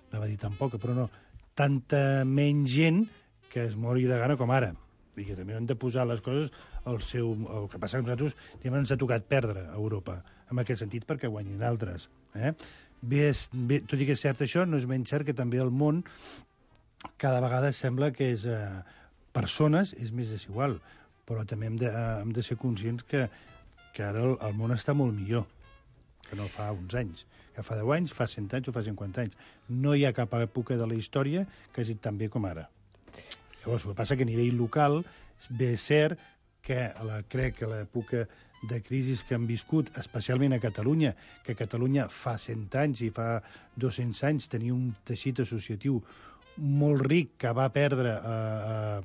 anava a dir tan poca, però no, tanta menys gent que es mori de gana com ara. I que també hem de posar les coses al seu... El que passa que nosaltres diguem, ens ha tocat perdre a Europa, en aquest sentit, perquè guanyin altres. Eh? Bé, bé, tot i que és cert això, no és menys cert que també el món cada vegada sembla que és... Eh, persones és més desigual, però també hem de, eh, hem de ser conscients que, que ara el, el món està molt millor que no fa uns anys. Que fa deu anys, fa cent anys o fa cinquanta anys. No hi ha cap època de la història que hagi tan bé com ara. Llavors, el que passa que a nivell local bé és cert que la, crec que l'època de crisis que han viscut, especialment a Catalunya, que Catalunya fa cent anys i fa dos-cents anys tenia un teixit associatiu molt ric que va perdre eh, eh,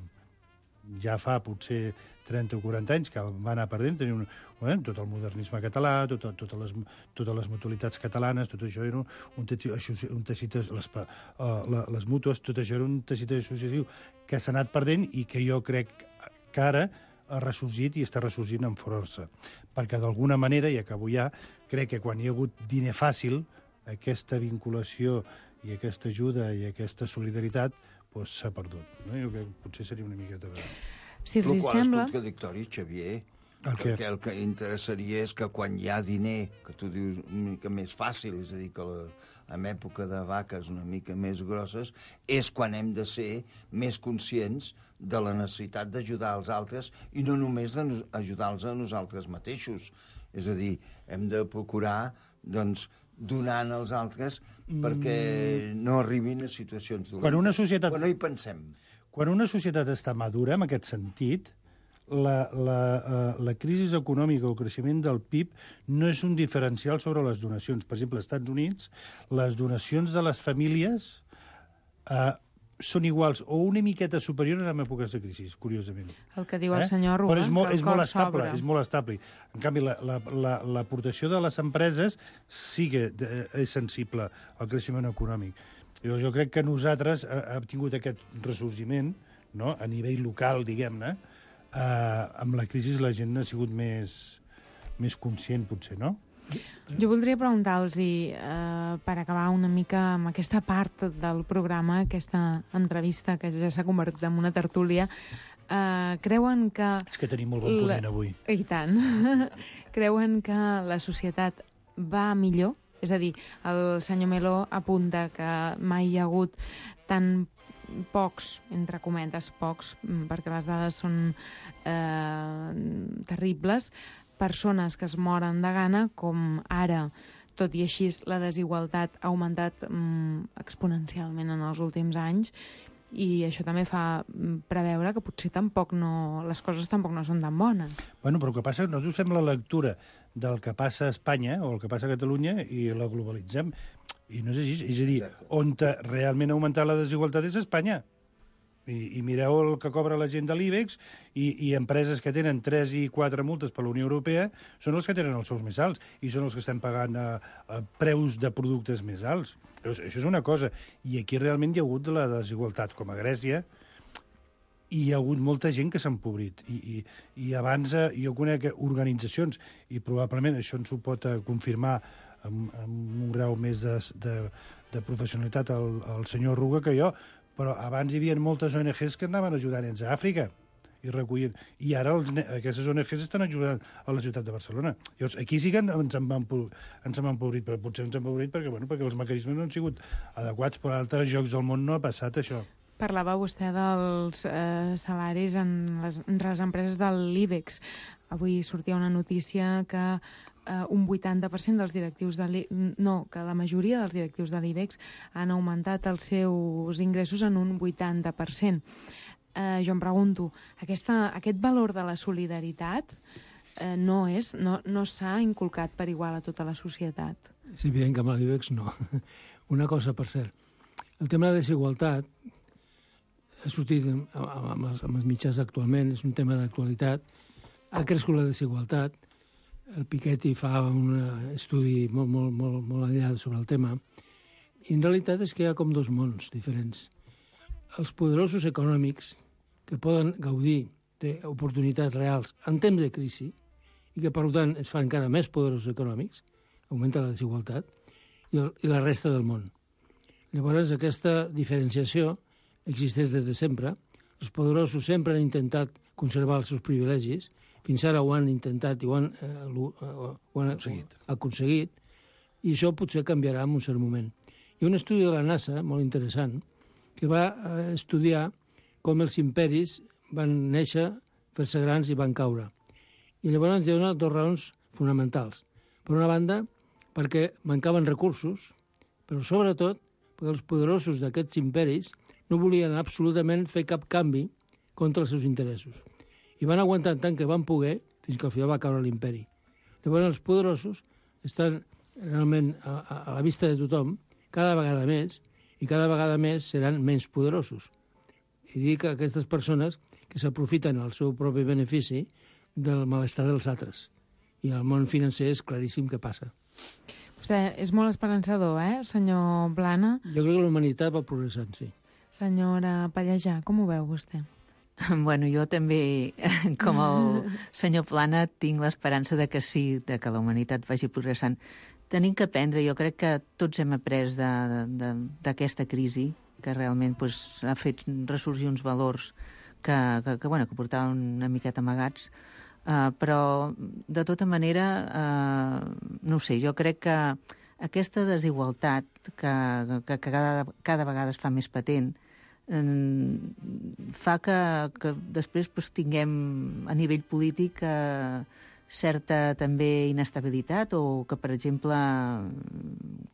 ja fa potser trenta o quaranta anys, que va anar perdent, tenia un, eh, tot el modernisme català, tot, totes, les, totes les mutualitats catalanes, tot això era un, un teixit, un teixit les, uh, les mútues, tot això era un teixit associatiu que s'ha anat perdent i que jo crec que ara ha ressorgit i està ressorgint amb força. Perquè d'alguna manera, i acabo ja, crec que quan hi ha hagut diner fàcil, aquesta vinculació i aquesta ajuda i aquesta solidaritat doncs, s'ha perdut. No? Jo crec que potser seria una miqueta de... Si els el qual sembla... és contradictori, Xavier, el perquè el que interessaria és que quan hi ha diner, que tu dius una mica més fàcil, és a dir, que la, en època de vaques una mica més grosses, és quan hem de ser més conscients de la necessitat d'ajudar els altres i no només d'ajudar-los a nosaltres mateixos. És a dir, hem de procurar, doncs, donant als altres perquè no arribin a situacions dolentes. Quan una societat... Quan no hi pensem. Quan una societat està madura, en aquest sentit, la, la, uh, la crisi econòmica o el creixement del P I B no és un diferencial sobre les donacions. Per exemple, als Estats Units, les donacions de les famílies uh, són iguals o una miqueta superiors en èpoques de crisi, curiosament. El que diu el senyor Arruga, Però és molt, és molt estable, sobra. és molt estable. En canvi, l'aportació la, la, la, de les empreses sí que és sensible al creixement econòmic. Jo, jo crec que nosaltres hem tingut aquest ressorgiment, no?, a nivell local, diguem-ne. Eh, amb la crisi la gent ha sigut més, més conscient, potser, no? Jo voldria preguntar-los, eh, per acabar una mica amb aquesta part del programa, aquesta entrevista que ja s'ha convertit en una tertúlia, eh, creuen que... És que tenim molt bon ponent avui. I tant. Creuen que la societat va millor? És a dir, el senyor Melo apunta que mai hi ha hagut tan pocs, entre cometes, pocs, perquè les dades són eh, terribles, persones que es moren de gana, com ara. Tot i així, la desigualtat ha augmentat mm, exponencialment en els últims anys i això també fa preveure que potser tampoc no, les coses tampoc no són tan bones. Bueno, però el que passa és que nosaltres fem la lectura del que passa a Espanya o el que passa a Catalunya i la globalitzem. I no és així. És a dir, on realment ha augmentat la desigualtat és a Espanya. I, i mireu el que cobra la gent de l'IBEX i, i empreses que tenen tres i quatre multes per la Unió Europea són els que tenen els sous més alts i són els que estan pagant a, a preus de productes més alts. Llavors, això és una cosa. I aquí realment hi ha hagut la desigualtat, com a Grècia, i hi ha hagut molta gent que s'ha empobrit. I, i, i abans eh, jo conec organitzacions, i probablement això ens ho pot eh, confirmar amb, amb un grau més de, de, de professionalitat el, el senyor Arruga que jo, però abans hi havia moltes O N Ges que anaven ajudant nens a Àfrica i recollint. I ara els, aquestes O N Ges estan ajudant a la ciutat de Barcelona. Llavors, aquí sí que ens hem empobrit, però potser ens hem empobrit perquè, bueno, perquè els mecanismes no han sigut adequats, però a altres llocs del món no ha passat això. Parlava vostè dels eh, salaris en les, entre les empreses de l'IBEX. Avui sortia una notícia que Uh, un vuitanta per cent dels directius de l'IBEX, no, que la majoria dels directius de l'IBEX han augmentat els seus ingressos en un vuitanta per cent. eh, jo em pregunto, aquesta, aquest valor de la solidaritat eh, no és, no, no s'ha inculcat per igual a tota la societat. És evident que amb l'I B E X no. Una cosa, per cert, el tema de desigualtat ha sortit amb, amb, els, amb els mitjans actualment, és un tema d'actualitat, ha crescut la desigualtat, el Piketty fa un estudi molt, molt, molt, molt enllà sobre el tema, i en realitat és que hi ha com dos mons diferents. Els poderosos econòmics que poden gaudir d'oportunitats reals en temps de crisi i que, per tant, es fan encara més poderosos econòmics, augmenta la desigualtat, i, el, i la resta del món. Llavors, aquesta diferenciació existeix des de sempre. Els poderosos sempre han intentat conservar els seus privilegis, fins ara ho han intentat i ho han, eh, ho, ho han aconseguit. aconseguit, i això potser canviarà en un cert moment. Hi ha un estudi de la NASA, molt interessant, que va eh, estudiar com els imperis van néixer, fer-se grans i van caure. I llavors ens dona dues raons fonamentals. Per una banda, perquè mancaven recursos, però sobretot perquè els poderosos d'aquests imperis no volien absolutament fer cap canvi contra els seus interessos. I van aguantar tant que van poder fins que al final va caure l'imperi. Llavors els poderosos estan realment a, a, a la vista de tothom cada vegada més, i cada vegada més seran menys poderosos. I dic a aquestes persones que s'aprofiten al seu propi benefici del malestar dels altres. I al món financer és claríssim què passa. Vostè és molt esperançador, eh, senyor Plana? Jo crec que la humanitat va progressant, sí. Senyora Pallejà, com ho veu vostè? Bueno, jo també, com el senyor Plana, tinc l'esperança de que sí, de que la humanitat vagi progressant. Tenim que aprendre, jo crec que tots hem après d'aquesta crisi, que realment pues, ha fet ressorgir uns valors que, que, que, bueno, que portaven una miqueta amagats, uh, però de tota manera, uh, no ho sé, jo crec que aquesta desigualtat que, que, que cada, cada vegada es fa més patent, fa que, que després pues, tinguem a nivell polític eh, certa també inestabilitat o que, per exemple,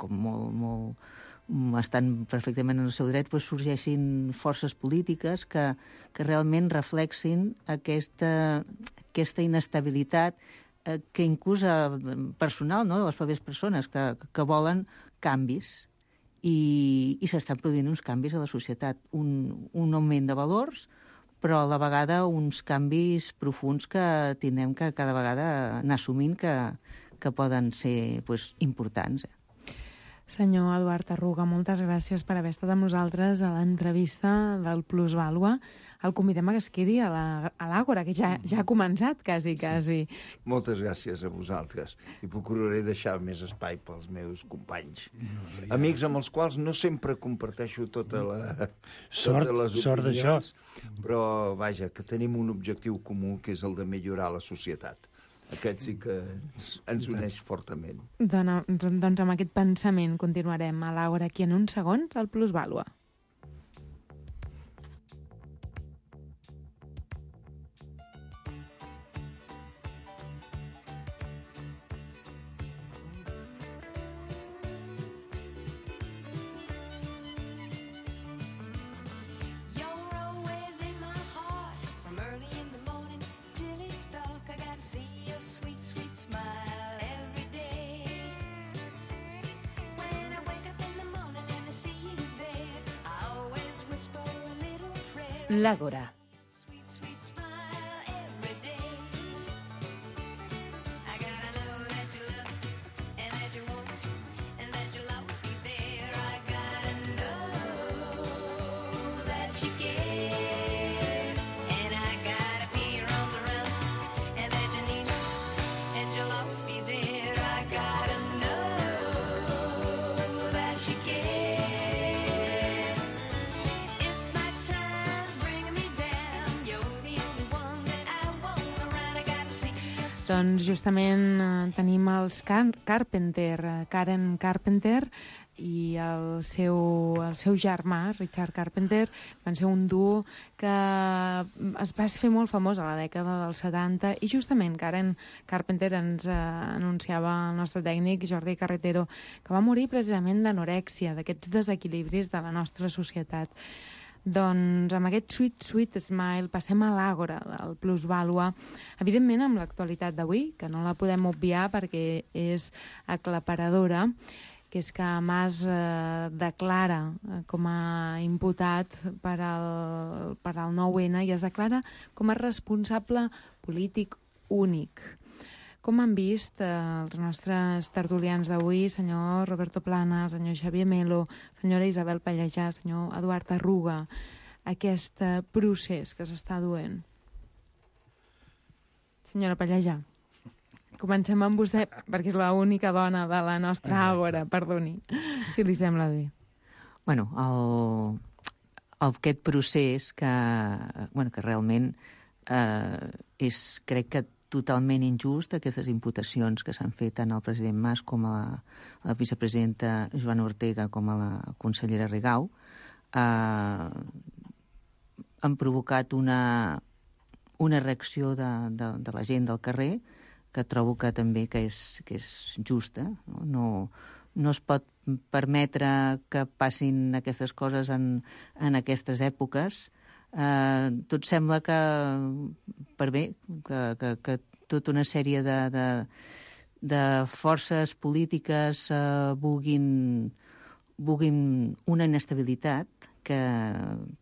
com molt, molt estan perfectament en el seu dret, pues, sorgeixin forces polítiques que, que realment reflexin aquesta, aquesta inestabilitat eh, que inclús personal, no?, de les pròpies persones que, que volen canvis. I, i s'estan produint uns canvis a la societat, un, un augment de valors, però a la vegada uns canvis profuns que tindrem que cada vegada anar assumint que, que poden ser pues, importants. Eh? Senyor Eduard Arruga, moltes gràcies per haver estat amb nosaltres a l'entrevista del Plusvàlua. El convidem a que es quedi a l'Àgora, que ja, ja ha començat, quasi, quasi. Sí. Moltes gràcies a vosaltres. I procuraré deixar més espai pels meus companys. No, ja... Amics amb els quals no sempre comparteixo tota la, sort, totes les sort opinions, però, vaja, que tenim un objectiu comú, que és el de millorar la societat. Aquest sí que ens, ens uneix fortament. Dona, doncs amb aquest pensament continuarem a l'Àgora aquí en uns segons al Plusvàlua. L'Àgora. Doncs justament eh, tenim els Car Carpenter, eh, Karen Carpenter i el seu, el seu germà, Richard Carpenter, van ser un duo que es va fer molt famós a la dècada dels setanta i justament Karen Carpenter ens eh, anunciava el nostre tècnic Jordi Carretero que va morir precisament d'anorèxia, d'aquests desequilibris de la nostra societat. Doncs amb aquest Sweet Sweet Smile passem a l'àgora del Plusvàlua, evidentment amb l'actualitat d'avui, que no la podem obviar perquè és aclaparadora, que és que Mas eh, declara com a imputat per al, per al nou ene i es declara com a responsable polític únic. Com han vist eh, els nostres tertulians d'avui, senyor Roberto Plana, senyor Xavier Melo, senyora Isabel Pallejà, senyor Eduard Arruga, aquest eh, procés que s'està duent? Senyora Pallejà, comencem amb vostè, perquè és l'única dona de la nostra àgora, perdoni, si li sembla bé. Bueno, el, el, aquest procés que, bueno, que realment eh, és, crec que totalment injust, aquestes imputacions que s'han fet tant al president Mas com a la, a la vicepresidenta Joana Ortega com a la consellera Rigau, eh, han provocat una, una reacció de, de, de la gent del carrer que trobo que també que és, que és justa. No, no, no es pot permetre que passin aquestes coses en, en aquestes èpoques. Eh, tot sembla que, per bé, que, que, que tota una sèrie de, de, de forces polítiques eh, vulguin, vulguin una inestabilitat que,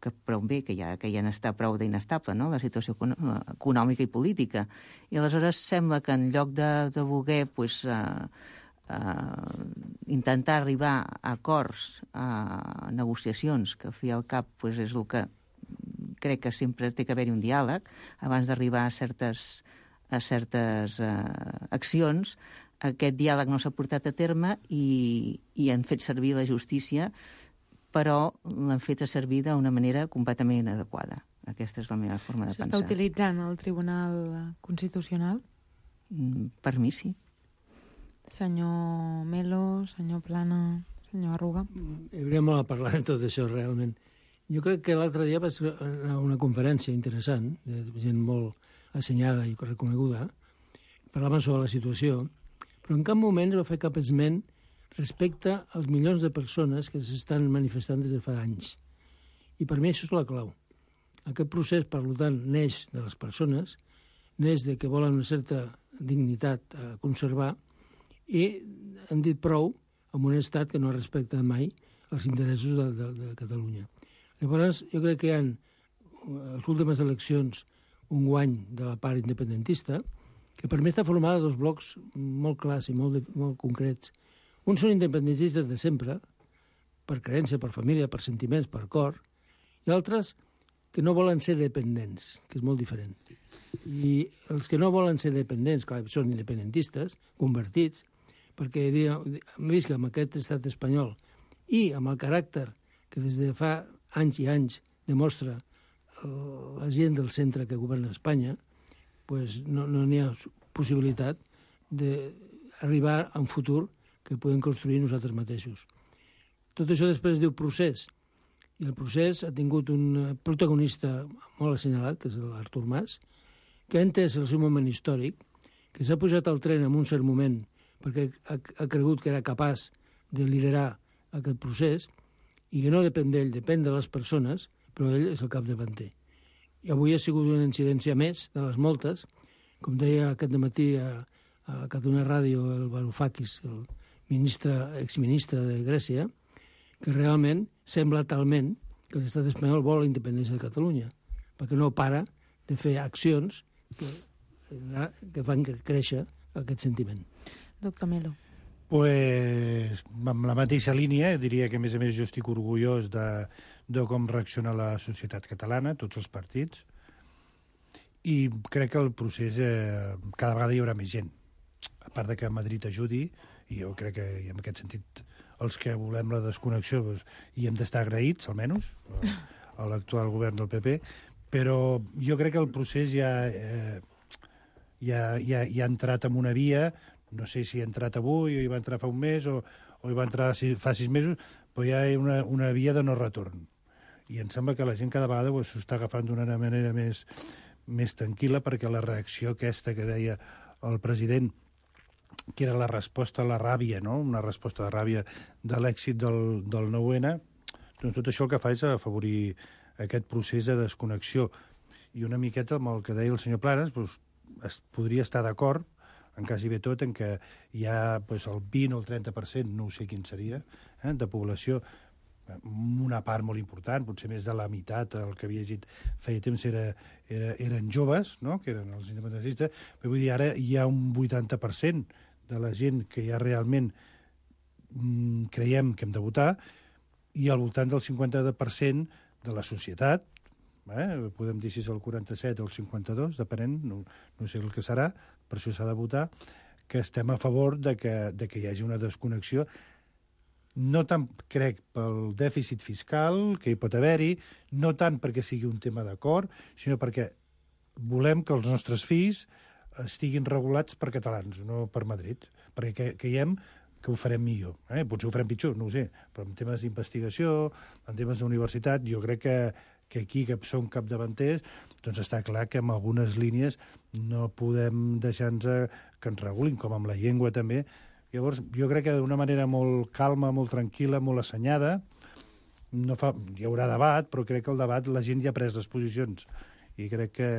que prou bé, que ja, que ja n'està prou d'inestable, no?, la situació econòmica i política. I aleshores sembla que en lloc de, de voler pues, uh, uh, intentar arribar a acords, a negociacions, que al fi i al cap pues, és el que crec que sempre té que haver-hi un diàleg abans d'arribar a certes, a certes uh, accions, aquest diàleg no s'ha portat a terme i, i han fet servir la justícia, però l'han fet a servir d'una manera completament inadequada. Aquesta és la meva forma de pensar. S'està utilitzant el Tribunal Constitucional? Mm, per mi sí. Senyor Melo, senyor Plana, senyor Arruga. Hi hauria molt a parlar de tot això, realment. Jo crec que l'altre dia va ser una conferència interessant, de gent molt assenyada i reconeguda, parlaven sobre la situació, però en cap moment es va fer cap esment respecte als milions de persones que s'estan manifestant des de fa anys. I per mi això és la clau. Aquest procés, per tant, neix de les persones, neix de que volen una certa dignitat a conservar i han dit prou amb un estat que no respecta mai els interessos de, de, de Catalunya. Llavors, jo crec que hi ha, a les últimes eleccions, un guany de la part independentista, que per mi està formada de dos blocs molt clars i molt, molt concrets. Uns són independentistes de sempre, per creença, per família, per sentiments, per cor, i altres que no volen ser dependents, que és molt diferent. I els que no volen ser dependents, clar, són independentistes, convertits, perquè hem vist que amb aquest estat espanyol i amb el caràcter que des de fa anys i anys demostra la gent del centre que governa Espanya, pues no n'hi ha possibilitat d'arribar a un futur que podem construir nosaltres mateixos. Tot això després es diu procés, i el procés ha tingut un protagonista molt assenyalat, que és l'Artur Mas, que ha entès el seu moment històric, que s'ha pujat al tren en un cert moment perquè ha, ha cregut que era capaç de liderar aquest procés i que no depèn d'ell, depèn de les persones, però ell és el capdavanter. I avui ha sigut una incidència més de les moltes, com deia aquest matí a, a Catalunya Ràdio el Varoufakis, el ministre, exministre de Grècia, que realment sembla talment que l'estat espanyol vol la independència de Catalunya, perquè no para de fer accions que, que fan créixer aquest sentiment. Doctor Melo. Pues, amb la mateixa línia, diria que, a més a més, jo estic orgullós de, de com reacciona la societat catalana, tots els partits, i crec que el procés eh, cada vegada hi haurà més gent. A part de que Madrid ajudi, i jo crec que en aquest sentit els que volem la desconnexió doncs, hi hem d'estar agraïts, almenys, a l'actual govern del P P, però jo crec que el procés ja, eh, ja, ja, ja ha entrat en una via, no sé si ha entrat avui o hi va entrar fa un mes o, o hi va entrar fa sis mesos, però ja hi ha una, una via de no retorn. I em sembla que la gent cada vegada s'ho està agafant d'una manera més, més tranquil·la, perquè la reacció aquesta que deia el president, que era la resposta a la ràbia, no? Una resposta de ràbia de l'èxit del, del nou ene, doncs tot això el que fa és afavorir aquest procés de desconnexió. I una miqueta amb el que deia el senyor Planes, doncs, es podria estar d'acord en quasi bé tot, en què hi ha doncs, el vint o el trenta per cent, no sé quin seria, eh, de població, una part molt important, potser més de la meitat, el que havia llegit feia temps era, era, eren joves, no?, que eren els independentistes, però vull dir, ara hi ha un vuitanta per cent de la gent que ja realment mm, creiem que hem de votar, i al voltant del cinquanta per cent de la societat, eh, podem dir si és el quaranta-set o el cinquanta-dos, depenent, no, no sé el que serà, per això s'ha de votar, que estem a favor de que, de que hi hagi una desconnexió, no tant, crec, pel dèficit fiscal que hi pot haver-hi, no tant perquè sigui un tema d'acord, sinó perquè volem que els nostres fills estiguin regulats per catalans, no per Madrid, perquè creiem que ho farem millor. Eh? Potser ho farem pitjor, no ho sé, però en temes d'investigació, en temes d'universitat, jo crec que, que aquí, que som capdavanters, doncs està clar que en algunes línies no podem deixar-nos que ens regulin, com amb la llengua també. Llavors, jo crec que d'una manera molt calma, molt tranquil·la, molt assenyada, no fa, hi haurà debat, però crec que el debat la gent ja ha pres les posicions. I crec que,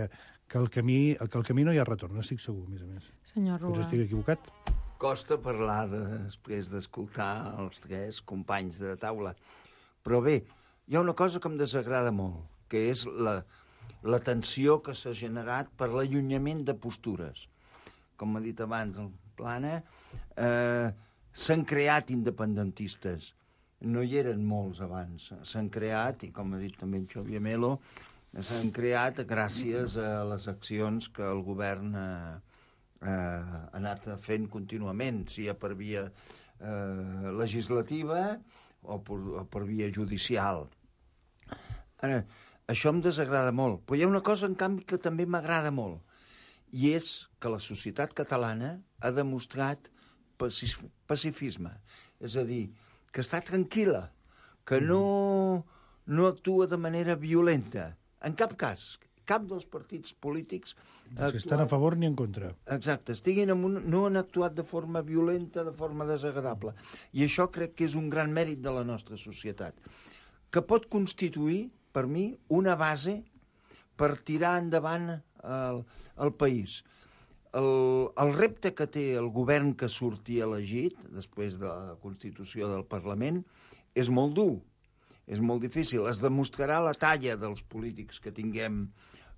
que, el camí, que el camí no hi ha retorn, estic segur, a més a més. Senyor Rua. Potser estic equivocat. Costa parlar de, després d'escoltar els tres companys de taula. Però bé, hi ha una cosa que em desagrada molt, que és la, la tensió que s'ha generat per l'allunyament de postures. Com ha dit abans el Plana, eh, s'han creat independentistes. No hi eren molts abans. S'han creat, i com ha dit també en Xavier Melo, s'han creat gràcies a les accions que el govern eh, eh, ha anat fent contínuament, sigui per via eh, legislativa o per, o per via judicial. Ara, això em desagrada molt, però hi ha una cosa, en canvi, que també m'agrada molt, i és que la societat catalana ha demostrat pacifisme, és a dir, que està tranquil·la, que no, no actua de manera violenta, en cap cas. Cap dels partits polítics... Si estan a favor ni en contra. Exacte, estiguin en un, no han actuat de forma violenta, de forma desagradable. I això crec que és un gran mèrit de la nostra societat, que pot constituir, per mi, una base per tirar endavant el, el país. El, el repte que té el govern que surti elegit, després de la Constitució del Parlament, és molt dur, és molt difícil. Es demostrarà la talla dels polítics que tinguem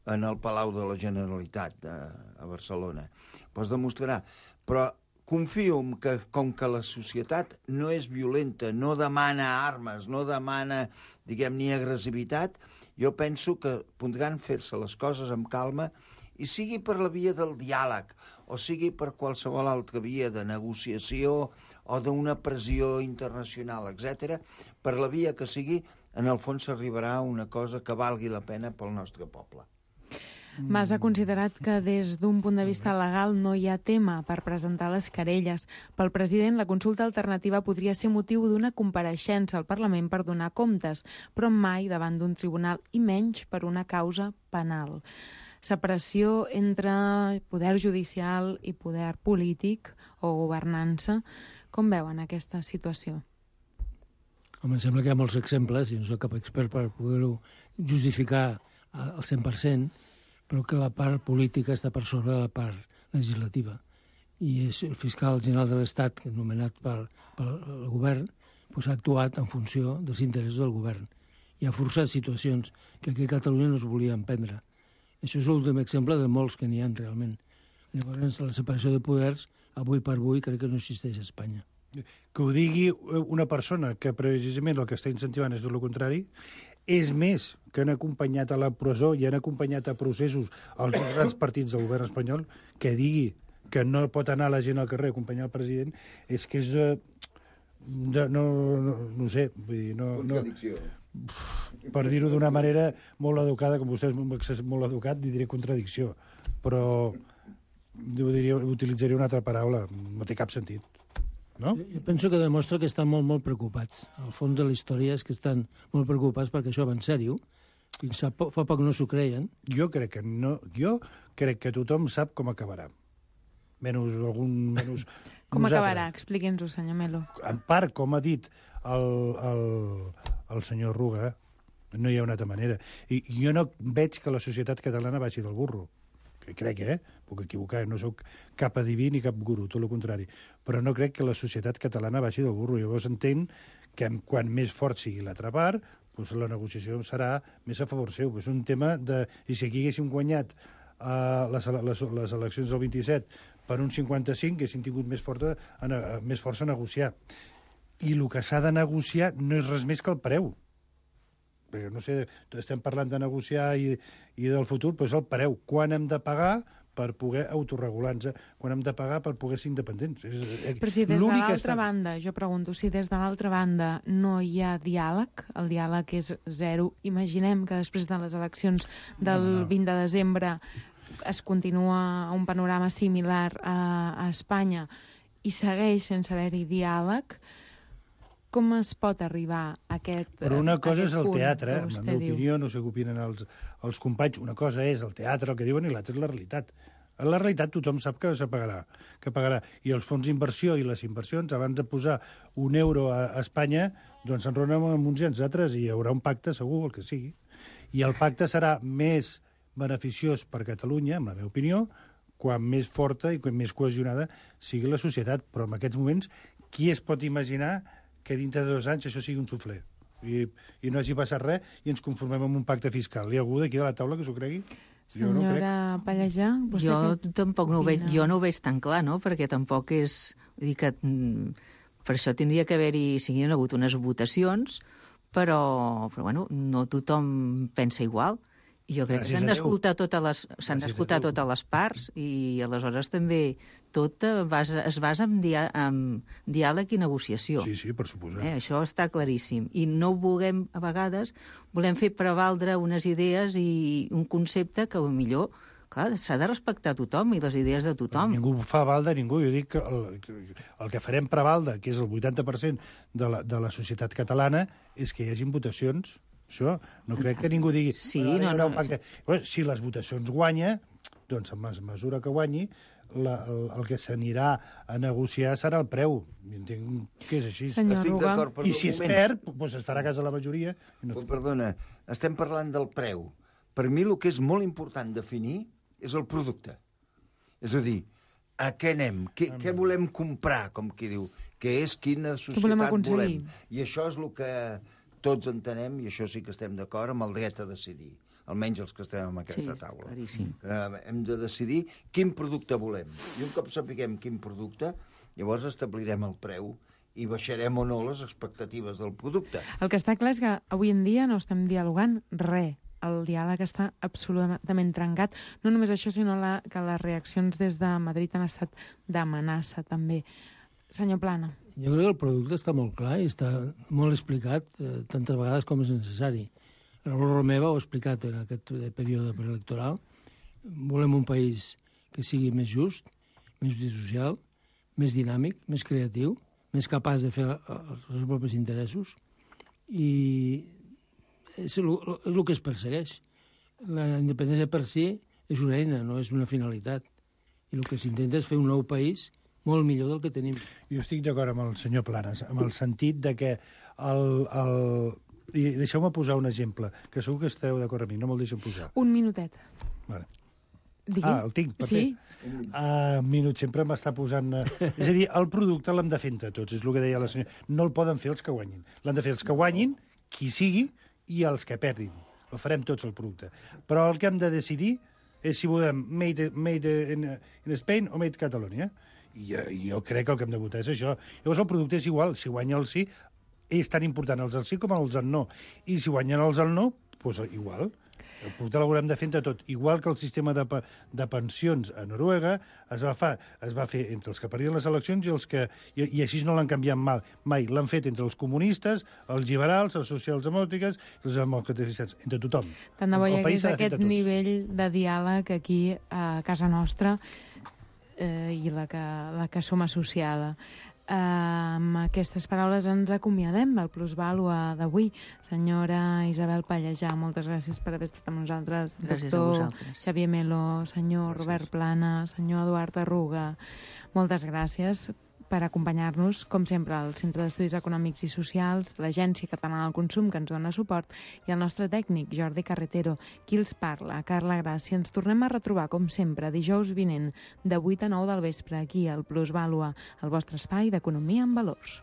en el Palau de la Generalitat de, a Barcelona. Però es demostrarà. Però confio en que, com que la societat no és violenta, no demana armes, no demana, diguem, ni agressivitat, jo penso que podran fer-se les coses amb calma, i sigui per la via del diàleg, o sigui per qualsevol altra via de negociació o d'una pressió internacional, etcètera, per la via que sigui, en el fons s'arribarà a una cosa que valgui la pena pel nostre poble. Mas ha considerat que des d'un punt de vista legal no hi ha tema per presentar les querelles. Pel president, la consulta alternativa podria ser motiu d'una compareixença al Parlament per donar comptes, però mai davant d'un tribunal i menys per una causa penal. Separació entre poder judicial i poder polític o governança. Com veuen aquesta situació? Home, em sembla que hi ha molts exemples, i no soc cap expert per poder-ho justificar al cent per cent, però que la part política està per sobre de la part legislativa. I és el fiscal general de l'Estat, nomenat pel, pel govern, doncs ha actuat en funció dels interessos del govern i ha forçat situacions que aquí a Catalunya no es volien prendre. Això és l'últim exemple de molts que n'hi ha realment. Llavors, la separació de poders, avui per avui, crec que no existeix a Espanya. Que ho digui una persona que precisament el que està incentivant és tot el contrari, és més que han acompanyat a la presó i han acompanyat a processos els grans partits del govern espanyol, que digui que no pot anar la gent al carrer a acompanyar el president, és que és de... de no, no, no ho sé, vull dir, no... Contradicció. No, per dir-ho d'una manera molt educada, com vostè és molt educat, li diré contradicció, però jo diria, utilitzaria una altra paraula, no té cap sentit. No? Jo penso que demostra que estan molt, molt preocupats. Al fons de la història és que estan molt preocupats perquè això va en sèrio. Fins fa poc, fa poc no s'ho creien. Jo crec que no. Jo crec que tothom sap com acabarà. Menys algun... Menys com nosaltres. Acabarà? Expliqui'ns-ho, senyor Melo. En part, com ha dit el, el, el senyor Ruga, No hi ha una altra manera. I, i jo no veig que la societat catalana vagi del burro. Que crec, eh? Puc equivocar, no sóc cap adiví ni cap guru, tot el contrari. Però no crec que la societat catalana vagi del burro. Llavors entenc que quan més fort sigui l'altra part, doncs la negociació serà més a favor seu. És un tema de... I si aquí haguéssim guanyat uh, les, les, les eleccions del vint-i-set per un cinquanta-cinc, haguéssim tingut més força, a, a, més força a negociar. I el que s'ha de negociar no és res més que el preu. Perquè, no sé, estem parlant de negociar i, i del futur, però és el preu. Quan hem de pagar per poder autorregular-nos, quan hem de pagar per poder ser independents. És, però si des de l'altra està... banda, jo pregunto, si des de l'altra banda no hi ha diàleg, el diàleg és zero, imaginem que després de les eleccions del no, no. vint de desembre es continua un panorama similar a, a Espanya i segueix sense haver-hi diàleg, com es pot arribar a aquest punt? Però una cosa és el teatre, en la meva opinió, no sé què opinen els, els companys, una cosa és el teatre, el que diuen, i l'altra és la realitat. En la realitat tothom sap que se pagarà, que pagarà. I els fons d'inversió i les inversions, abans de posar un euro a, a Espanya, doncs s'enronen amb uns i els altres i hi haurà un pacte segur, el que sigui. I el pacte serà més beneficiós per Catalunya, en la meva opinió, quan més forta i quan més cohesionada sigui la societat. Però en aquests moments, qui es pot imaginar que dintre de dos anys això sigui un suflé i, i no hagi passat res i ens conformem amb un pacte fiscal. Hi ha algú d'aquí de la taula que s'ho cregui? Jo no Senyora crec. Pallejà, vostè jo què tampoc no ho veig, opina? jo no ho veig tan clar, no? Perquè tampoc és... Vull dir que mm, per això tindria que haver-hi... Si hi ha hagut unes votacions, però, però bueno, no tothom pensa igual. I jo crec Gràcies que s'han a Déu. d'escoltar totes les, s'han Gràcies a d'escoltar Déu. totes les parts i aleshores també tot eh, basa, es basa en, dia, en diàleg i negociació. Sí, sí, per suposar. Eh, això està claríssim. I no volem, a vegades, volem fer prevaldre unes idees i un concepte que potser, clar, s'ha de respectar tothom i les idees de tothom. Ningú fa val de ningú. Jo dic que el, el que farem prevalde, que és el vuitanta per cent de la, de la societat catalana, és que hi hagin votacions. Això, no crec que ningú digui... Sí, "Bueno, no, hi haurà no, un pacte". Bueno, si les votacions guanya, doncs en la mesura que guanyi, la, el, el que s'anirà a negociar serà el preu. I entenc que és així. Senyor Estic Ruga. d'acord, però I un si es moment. perd, doncs es farà cas a la majoria. I no... Oh, perdona, estem parlant del preu. Per mi el que és molt important definir és el producte. És a dir, a què anem? Què, què volem comprar, com qui diu? Què és, quina societat volem volem? aconseguir? I això és el que tots entenem, i això sí que estem d'acord, amb el dret a decidir. Almenys els que estem en aquesta Sí, taula. claríssim. Eh, hem de decidir quin producte volem. I un cop sapiguem quin producte, llavors establirem el preu i baixarem o no les expectatives del producte. El que està clar és que avui en dia no estem dialogant res. El diàleg està absolutament trencat. No només això, sinó la, que les reaccions des de Madrid han estat d'amenaça, també. Senyor Plana. Jo crec que el producte està molt clar i està molt explicat eh, tantes vegades com és necessari. Raül Romeva ho ha explicat en aquest període preelectoral. Volem un país que sigui més just, més social, més dinàmic, més creatiu, més capaç de fer els seus propis interessos i és el, és el que es persegueix. La independència per si és una eina, no és una finalitat. I el que s'intenta és fer un nou país molt millor del que tenim. Jo estic d'acord amb el senyor Planes, amb el sentit de que el... el... I deixeu-me posar un exemple, que segur que esteu d'acord amb mi, no me'l deixen posar. Un minutet. Vale. Digui. Ah, el tinc, per Sí. fer. Uh, un minut, sempre m'està posant... Uh... És a dir, el producte l'hem de fer entre tots, és el que deia la senyora. No el poden fer els que guanyin. L'han de fer els que guanyin, qui sigui, i els que perdin. El farem tots, el producte. Però el que hem de decidir és si volem made, made in, in Spain o made Catalonia. I jo, jo crec que el que hem de votar és això. Llavors el producte és igual. Si guanya el sí, és tan important els del sí com els del no. I si guanyen els del no, doncs igual. El producte l'haurem de fer entre tot. Igual que el sistema de, de pensions a Noruega es va, fa, es va fer entre els que perdien les eleccions i els que... I, i així no l'han canviat mal, mai. L'han fet entre els comunistes, els liberals, els socialdemòcrates, els democratitzats, entre tothom. Tant de bo hi El país hagués s'ha de fer aquest entre tots. nivell de diàleg aquí a casa nostra eh, i la que, la que som associada. Uh, amb aquestes paraules ens acomiadem del Plusvàlua d'avui. Senyora Isabel Pallejà, moltes gràcies per haver estat amb nosaltres. Gràcies a Doctor vosaltres. Xavier Melo, senyor Gràcies. Robert Plana, senyor Eduard Arruga, moltes gràcies per acompanyar-nos, com sempre, al Centre d'Estudis Econòmics i Socials, l'Agència Catalana del Consum, que ens dona suport, i el nostre tècnic, Jordi Carretero. Qui els parla, Carla Gràcia. Ens tornem a retrobar, com sempre, dijous vinent, de vuit a nou del vespre, aquí al Plusvàlua, el vostre espai d'economia en valors.